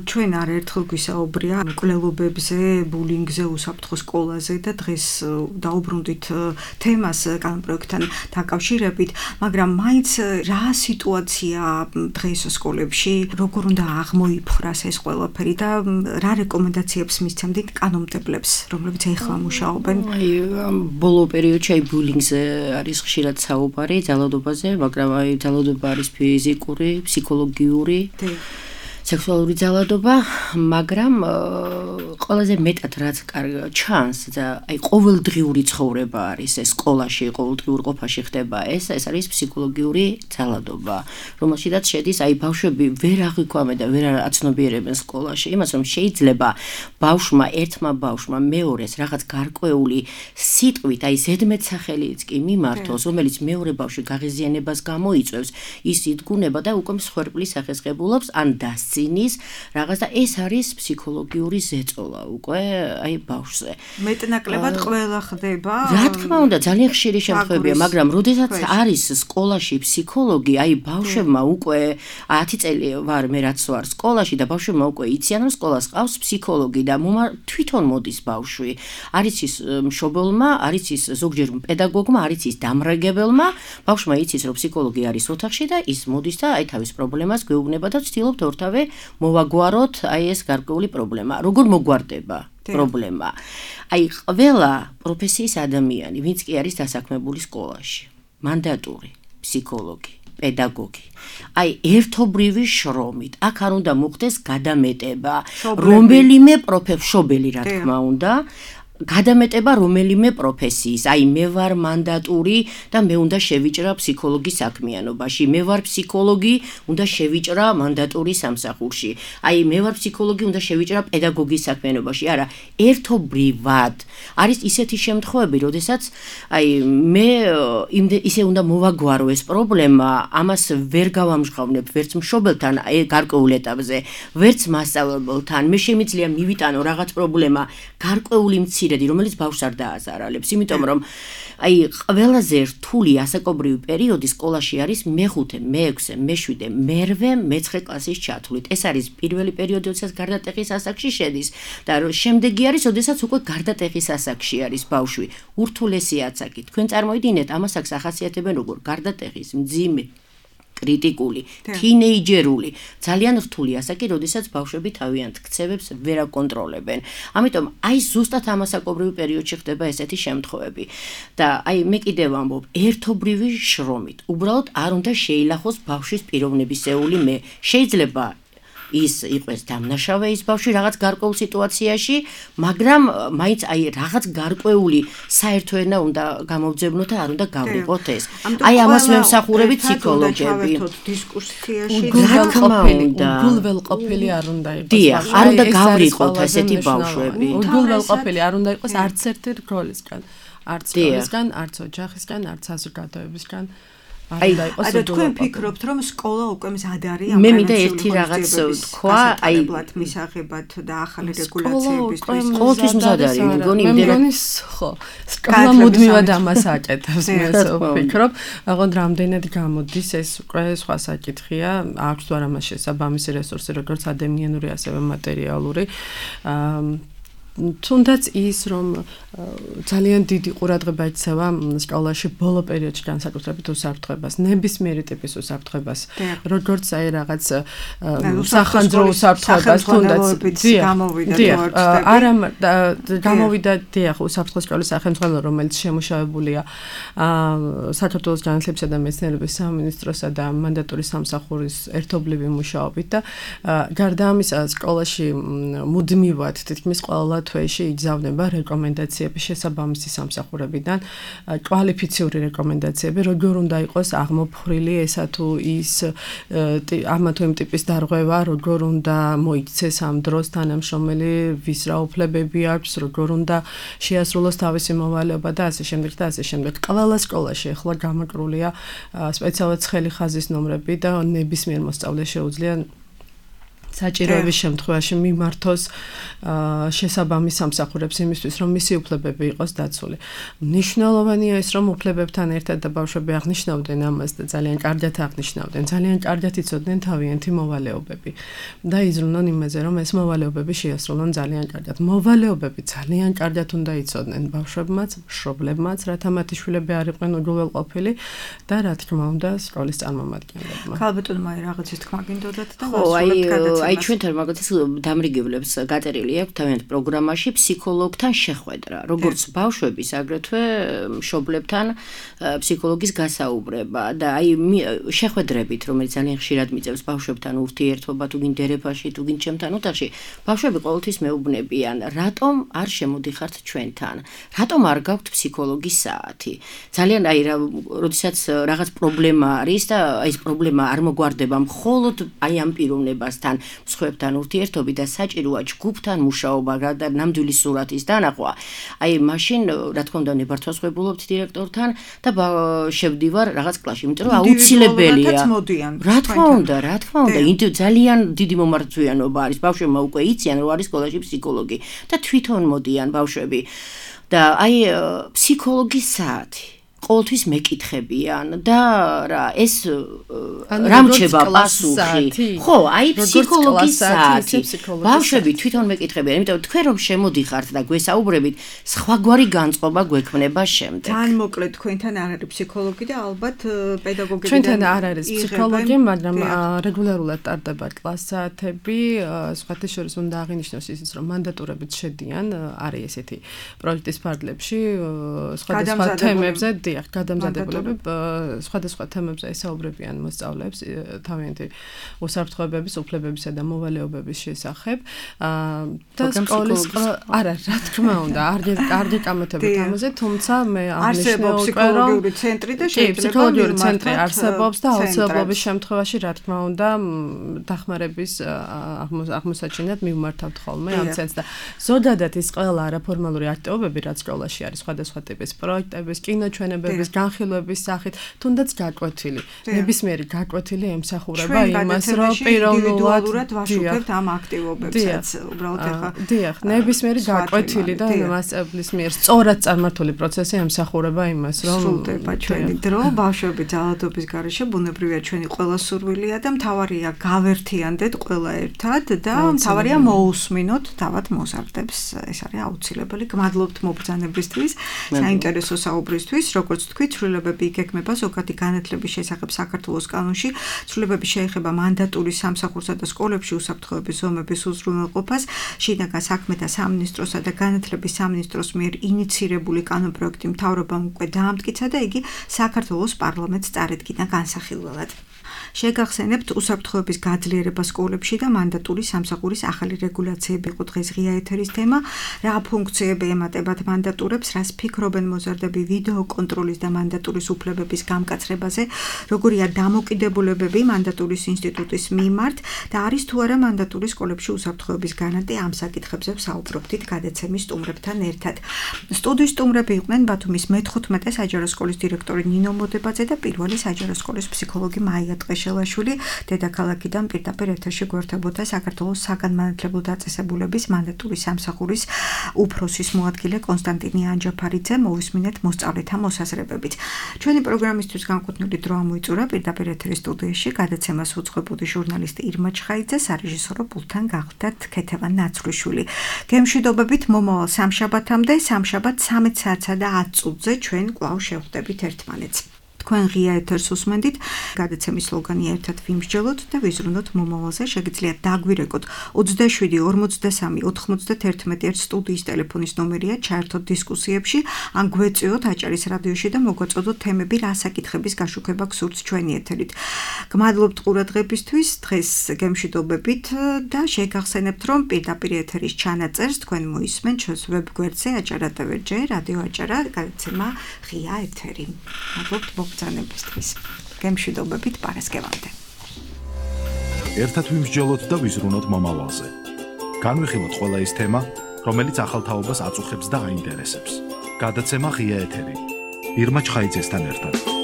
ჩვენ არაერთხელ გვისაუბრია მკვლელობებზე, ბულინგზე, უსაფრთხო სკოლაზე და დღეს დაუბრუნდით თემას კანონპროექტთან დაკავშირებით, მაგრამ მაინც რა სიტუაცია დღეს სკოლებში, როგორ უნდა აღმოიფხვრას ეს ყველაფერი და რა რეკომენდაციებს მისცემდით კანონმდებლებს, რომლებიც ეხლა მუშაობენ? ბოლო პერიოდში ბულინგზე არის ხშირად საუბარი, ძალადობაზე, მაგრამ ძალადობა არის ფიზიკური, ფსიქოლოგიური სექსუალური ძალადობა, მაგრამ ყველაზე მეტად რაც ჩანს და ყოველდღიური ცხოვრება არის ეს სკოლაში, ყოველდღიურ ყოფაში ხდება ეს არის ფსიქოლოგიური ძალადობა, რომელშიც შედის ბავშვები ვერ აღიქვამენ და ვერ აცნობიერებენ სკოლაში, იმას რომ შეიძლება ბავშვმა, ერთმა ბავშვმა მეორეს რაღაც გარკვეული სიტყვით, ზედმეტსახელიც კი მიმართოს, რომელიც მეორე ბავშვი გაღიზიანებას გამოიწვევს, ის იდგუნება და უკვე მსხვერპლის სახესხებულობს ან ძინის რაღაც და ეს არის ფსიქოლოგიური ზეწოლა უკვე ბავშვზე. მეტნაკლებად ყველა ხდება. რა თქმა უნდა, ძალიან ხშირი შემთხვევებია, მაგრამ როდესაც არის სკოლაში ფსიქოლოგი, ბავშვებმა უკვე 10 წელი ვარ მე რაც ვარ სკოლაში და ბავშვებმა უკვე იციან რომ სკოლას ყავს ფსიქოლოგი და თვითონ მოდის ბავშვი. არის ის მშობელმა, არის ის ზოგჯერ პედაგოგმა, არის ის დამრაგებელმა, ბავშვმა იცის რომ ფსიქოლოგი არის ოთახში და ის მოდის და თავის პრობლემას გვეუბნება და ვცდილობთ ორთავე მოვაგვაროთ ეს გარკვეული პრობლემა. როგორ მოგვარდება პრობლემა? ყველა პროფესიის ადამიანი, ვინც კი არის დასაქმებული სკოლაში, მანდატური, ფსიქოლოგი, პედაგოგი. ერთობრივი შრომით. აქ არ უნდა მოხდეს გადამეტება, რომელიმე მშობელი რა თქმა უნდა, გადამეტება რომელიმე პროფესიის, მე ვარ მანდატური და მე უნდა შევიჭრა ფსიქოლოგის საქმიანობაში, მე ვარ ფსიქოლოგი, უნდა შევიჭრა მანდატური სამსახურში, მე ვარ ფსიქოლოგი, უნდა შევიჭრა პედაგოგის საქმიანობაში, არა, ერთობრივად. არის ისეთი შემთხვევები, როდესაც მე ისე უნდა მოვაგვარო ეს პრობლემა, ამას ვერ გავამჟღავნებ ვერც მშობელთან გარკვეულ ეტაპზე, ვერც მასწავლებელთან, მე შემიძლია მივიტანო რაღაც პრობლემა გარკვეული რომელიც ბავშვს არ დააზარალებს, იმიტომ რომ ყველაზე რთული ასაკობრივი პერიოდი სკოლაში არის მე-5, მე-6, მე-7, მე-8, მე-9 კლასის ჩათვლით. ეს არის პირველი პერიოდი, როდესაც გარდატეხის ასაკში შედის და შემდეგი არის, როდესაც უკვე გარდატეხის ასაკში არის ბავშვი. ურთულესი ასაკი. თქვენ წარმოიდგინეთ, ამას აქვს ახასიათებენ როგორ გარდატეხის, მძიმე კრიტიკული, თინეიჯერული, ძალიან რთული ასაკი, როდესაც ბავშვები თავიანთ ქცევებს ვერ აკონტროლებენ. ამიტომ ზუსტად ამ ასაკობრივ პერიოდში ხდება ესეთი შემთხვევები. და მე კიდევ ვამბობ, ერთობრივი შრომით. უბრალოდ არ უნდა შეილახოს ბავშვის პიროვნებისეული მე. შეიძლება ის იყოს დამნაშავე ის ბავშვი რაღაც გარკვეულ სიტუაციაში, მაგრამ მაინც რაღაც გარკვეული საერთო ენა უნდა გამოვძებნოთ და არ უნდა გავრიყოთ ეს. ამას ვემსახურებით ფსიქოლოგები. უგულველყოფილი არ უნდა იყოს. დიახ, არ უნდა გავრიყოთ ესეთი ბავშვები. უგულველყოფილი არ უნდა იყოს არც ერთი როლისგან, არც სკოლისგან, არც ოჯახისგან, არც საზოგადოებისგან. თქვენ ფიქრობთ, რომ სკოლა უკვე მზად არის მე მინდა ერთი რაღაც თქვა, მისაღებად და ახალი რეგულაციებისთვის. ყოველთვის მზად არის, მგონი ხო. სკოლა მუდმივად ამას აკეთებს, მე ვფიქრობ. აღონ რამდენად გამოდის ეს უკვე სხვა საკითხია, აქვს თუ არა მას შესაბამისი რესურსი, როგორც ადამიანური, ასევე მატერიალური. თუნდაც ის რომ ძალიან დიდი ყურადღება ექცევა სკოლაში ბოლო პერიოდში განსაკუთრებით უსაფრთხოებას, ნებისმიერი ტიპის უსაფრთხოებას, როგორც რაღაც სახანძრო უსაფრთხოებას, თუნდაც გამოვიდა უსაფრთხო სკოლის სახელმძღვანელო, რომელიც შემუშავებულია საქართველოს განათლებისა და მეცნიერების სამინისტროსა და მანდატური სამსახურის ერთობლივი მუშაობით და გარდა ამისა სკოლაში მუდმივად თითქმის ყველა თვეში იგზავნება რეკომენდაციები შესაბამისი სამსახურებიდან, კვალიფიციური რეკომენდაციები, როგორ უნდა იყოს აღმოფხრილი ესა თუ ის ამა თუ იმ ტიპის დარღვევა, როგორ უნდა მოიქცეს ამ დროს თანამშრომელი, ვის რა უფლებები აქვს, როგორ უნდა შეასრულოს თავისი მოვალეობა და ასე შემდეგ და ასე შემდეგ. ყველა სკოლაში ახლა გამაკრულია სპეციალურად ცხელი ხაზის ნომრები და ნებისმიერ მოსწავლეს შეუძლია საჭიროების შემთხვევაში მიმართოს შესაბამის სამსახურებს იმისთვის, რომ მისი უფლებები იყოს დაცული. მნიშვნელოვანია ის, რომ უფლებებთან ერთად და ბავშვები აღნიშნავდნენ ამას და ძალიან კარგად აღნიშნავდნენ, ძალიან კარგად იცოდნენ თავიანთი მოვალეობები და იზრუნონ იმაზე, რომ ეს მოვალეობები შეასრულონ ძალიან კარგად. მოვალეობები ძალიან კარგად უნდა იცოდნენ ბავშვებმაც, მშობლებმაც, რათა მათი შვილები არ იყვნენ უგულებელყოფილი და რა თქმა უნდა, სკოლის წარმომადგენლებმა. ქალბატონო მაი რაღაცის თქმა გინდოდათ და აი ჩვენთან მაგათაც დამრიგებლებს გაწერილი აქვს თავიანთ პროგრამაში ფსიქოლოგთან შეხვედრა, როგორც ბავშვების, აგრეთვე მშობლებთან ფსიქოლოგის გასაუბრება და აი შეხვედრებით, რომელიც ძალიან ხშირად მიწევს ბავშვებთან ურთიერთობა, თუ გინ დერეფაში, თუ გინ ჩემთან ოთახში, ბავშვები ყოველთვის მეუბნებიან, რატომ არ შემოდიხართ ჩვენთან? რატომ არ გაქვთ ფსიქოლოგის საათი? ძალიან აი როდესაც რაღაც პრობლემა არის და აი ეს პრობლემა არ მოგვარდება მხოლოდ აი ამ პიროვნებასთან, მსხვერპლთან ურთიერთობით და საჭიროა ჯგუფთან მუშაობა და ნამდვილი სურათის დანახვა. აი მაშინ რა თქმა უნდა ნებართვასხვებულობთ დირექტორთან და შევდივარ რაღაც კლასში, იმიტომ რომ აუცილებელია. რა თქმა უნდა, ძალიან დიდი მომართვიანობა არის. ბავშვებმა უკვე იციან, რომ არის სკოლაში ფსიქოლოგი და თვითონ მოდიან ბავშვები. და აი ფსიქოლოგის საათი ყოველთვის მეკითხებიან და რა ეს რამჩება პასუხი ხო აი ფსიქოლოგის საათი ბავშვები თვითონ მეკითხებიან იმიტომ თქვენ რომ შემოდიხართ და გვესაუბრებით სხვაგვარი განწყობა გვექმნება შემდეგ თან მოკლედ თქვენთან არ არის ფსიქოლოგი და ალბათ პედაგოგები ჩვენთან არ არის ფსიქოლოგი მაგრამ რეგულარულად ტარდება კლასათები სხვათა შორის უნდა აღინიშნოს ისიც რომ მანდატურებით შედიან არის ესეთი პროექტის ფარგლებში სხვადასხვა თემებზე გადამზადებულები სხვადასხვა თემებზე ესაუბრებიან მოსწავლეებს თავიანთი უსაფრთხოებების, უფლებებისა და მოვალეობების შესახებ. და სკოლის არა, რა თქმა უნდა, არ გეკამათებით ამაზე, თუმცა მე არსებობს ფსიქოლოგიური ცენტრი და შეიძლება ფსიქოლოგიური ცენტრი არსებობს და აუცილებლობის შემთხვევაში, რა თქმა უნდა, დახმარების აღმოსაჩენად მივმართავთ ხოლმე ამ ცენტრს და ზოგადად ის ყველა არაფორმალური აქტივობები, რაც სკოლაში არის, სხვადასხვა ტიპის პროექტების, კინოჩვენებების განხილვების სახით, თუნდაც გაკვეთილი. ნებისმიერი გაკვეთილი ემსახურება იმას, რომ პიროვნულად ვაშუქებთ ამ აქტივობებსაც. უბრალოდ ახლა დიახ, ნებისმიერი გაკვეთილი და მასწავლებლის მიერ სწორად წარმართული პროცესი ემსახურება იმას, რომ სრულდება ჩვენი დრო, ბავშვები ძალადობის გარეშე ბუნებრივია ჩვენი ყველა სურვილია და მთავარია გავერთიანდეთ ყველა ერთად და მთავარია მოусმინოთ თავად მოზარდებს. ეს არის აუცილებელი. გმადლობთ მობრძანებისთვის, საინტერესო საუბრისთვის, როგორც თქვით, ცვლილებები იგეგმება ზოგადი განათლების შესახებ საქართველოს კანონში. ცვლილებები შეეხება მანდატურის სამსახურსა და სკოლებში უსაფრთხოების ზომების უზრუნველყოფას. შინაგან საქმეთა სამინისტროსა და განათლების სამინისტროს მიერ ინიცირებული კანონპროექტი მთავრობამ უკვე დაამტკიცა და იგი საქართველოს პარლამენტს წარედგინა განსახილველად. შეგახსენებთ უსაფრთხოების გაძლიერება სკოლებში და მანდატურის სამსახურის ახალი რეგულაციები იყო დღეს ღია ეთერის თემა. რა ფუნქციები ემატებათ მანდატურებს, რას ფიქრობენ მოზარდები ვიდეო კონტროლის და მანდატურის უფლებების გამკაცრებაზე, როგორია დამოკიდებულებები მანდატურის ინსტიტუტის მიმართ და არის თუ არა მანდატურის სკოლებში უსაფრთხოების განანტი ამ საკითხებზე ვსაუბრობდით გადაცემის სტუმრებთან ერთად. სტუდიის სტუმრები იყვნენ ბათუმის მე-15 საჯარო სკოლის დირექტორი ნინო მოდებაძე და პირველი საჯარო სკოლის ფსიქოლოგი მაია ტყეშელაშვილი. დედაქალაქიდან პირდაპირ ეთერში გვერდებოდა საქართველოს საგანმანათლებლო დაწესებულების მანდატურის სამსახურის უფროსის მოადგილე კონსტანტინე ანჯაფარიძე. მოვისმინეთ მოსწავლეთა მოსაზრებებით. ჩვენი პროგრამისთვის განკუთვნილი დრო ამოიწურა პირდაპირ ეთერის სტუდიაში გადაცემას უძღვებოდი ჟურნალისტი ირმა ჩხაიძე, სარეჟისორო პულტთან გახლდათ ქეთევან ნაცვლიშვილი. გემშვიდობებით მომავალ სამშაბათამდე, სამშაბათ 13 საათსა და 10 წუთზე ჩვენ კვლავ შევხვდებით ერთმანეთს. თქვენ ღია ეთერს უსმენდით, გადაცემის სლოგანი ერთად ვიმსჯელოთ და ვიზრუნოთ მომავალზე. შეგიძლიათ დაგვირეკოთ 27 43 91 სტუდიის ტელეფონის ნომერია, ჩაერთოთ დისკუსიებში, ან გვეწიოთ აჭარის რადიოში და მოგვაწოდოთ თემები, რა საკითხების გაშუქება გსურთ ჩვენი ეთერით. გმადლობთ ყურადღებისთვის, დღეს გემშვიდობებით და შეგახსენებთ, რომ პირდაპირ ეთერის ჩანაწერს თქვენ მოისმენთ ჩვენს ვებგვერდზე acara.tv, რადიო აჭარა, გადაცემა ღია ეთერი. მადლობთ მოგზანებისთვის. გემშვიდობებით პარასკევამდე. ერთად ვიმსჯელოთ და ვიზრუნოთ მომავალზე. განვიხილოთ ყველა ის თემა, რომელიც ახალ თაობას აწუხებს და აინტერესებს. გადაცემა ღია ეთერი. ირმა ჩხაიძესთან ერთად.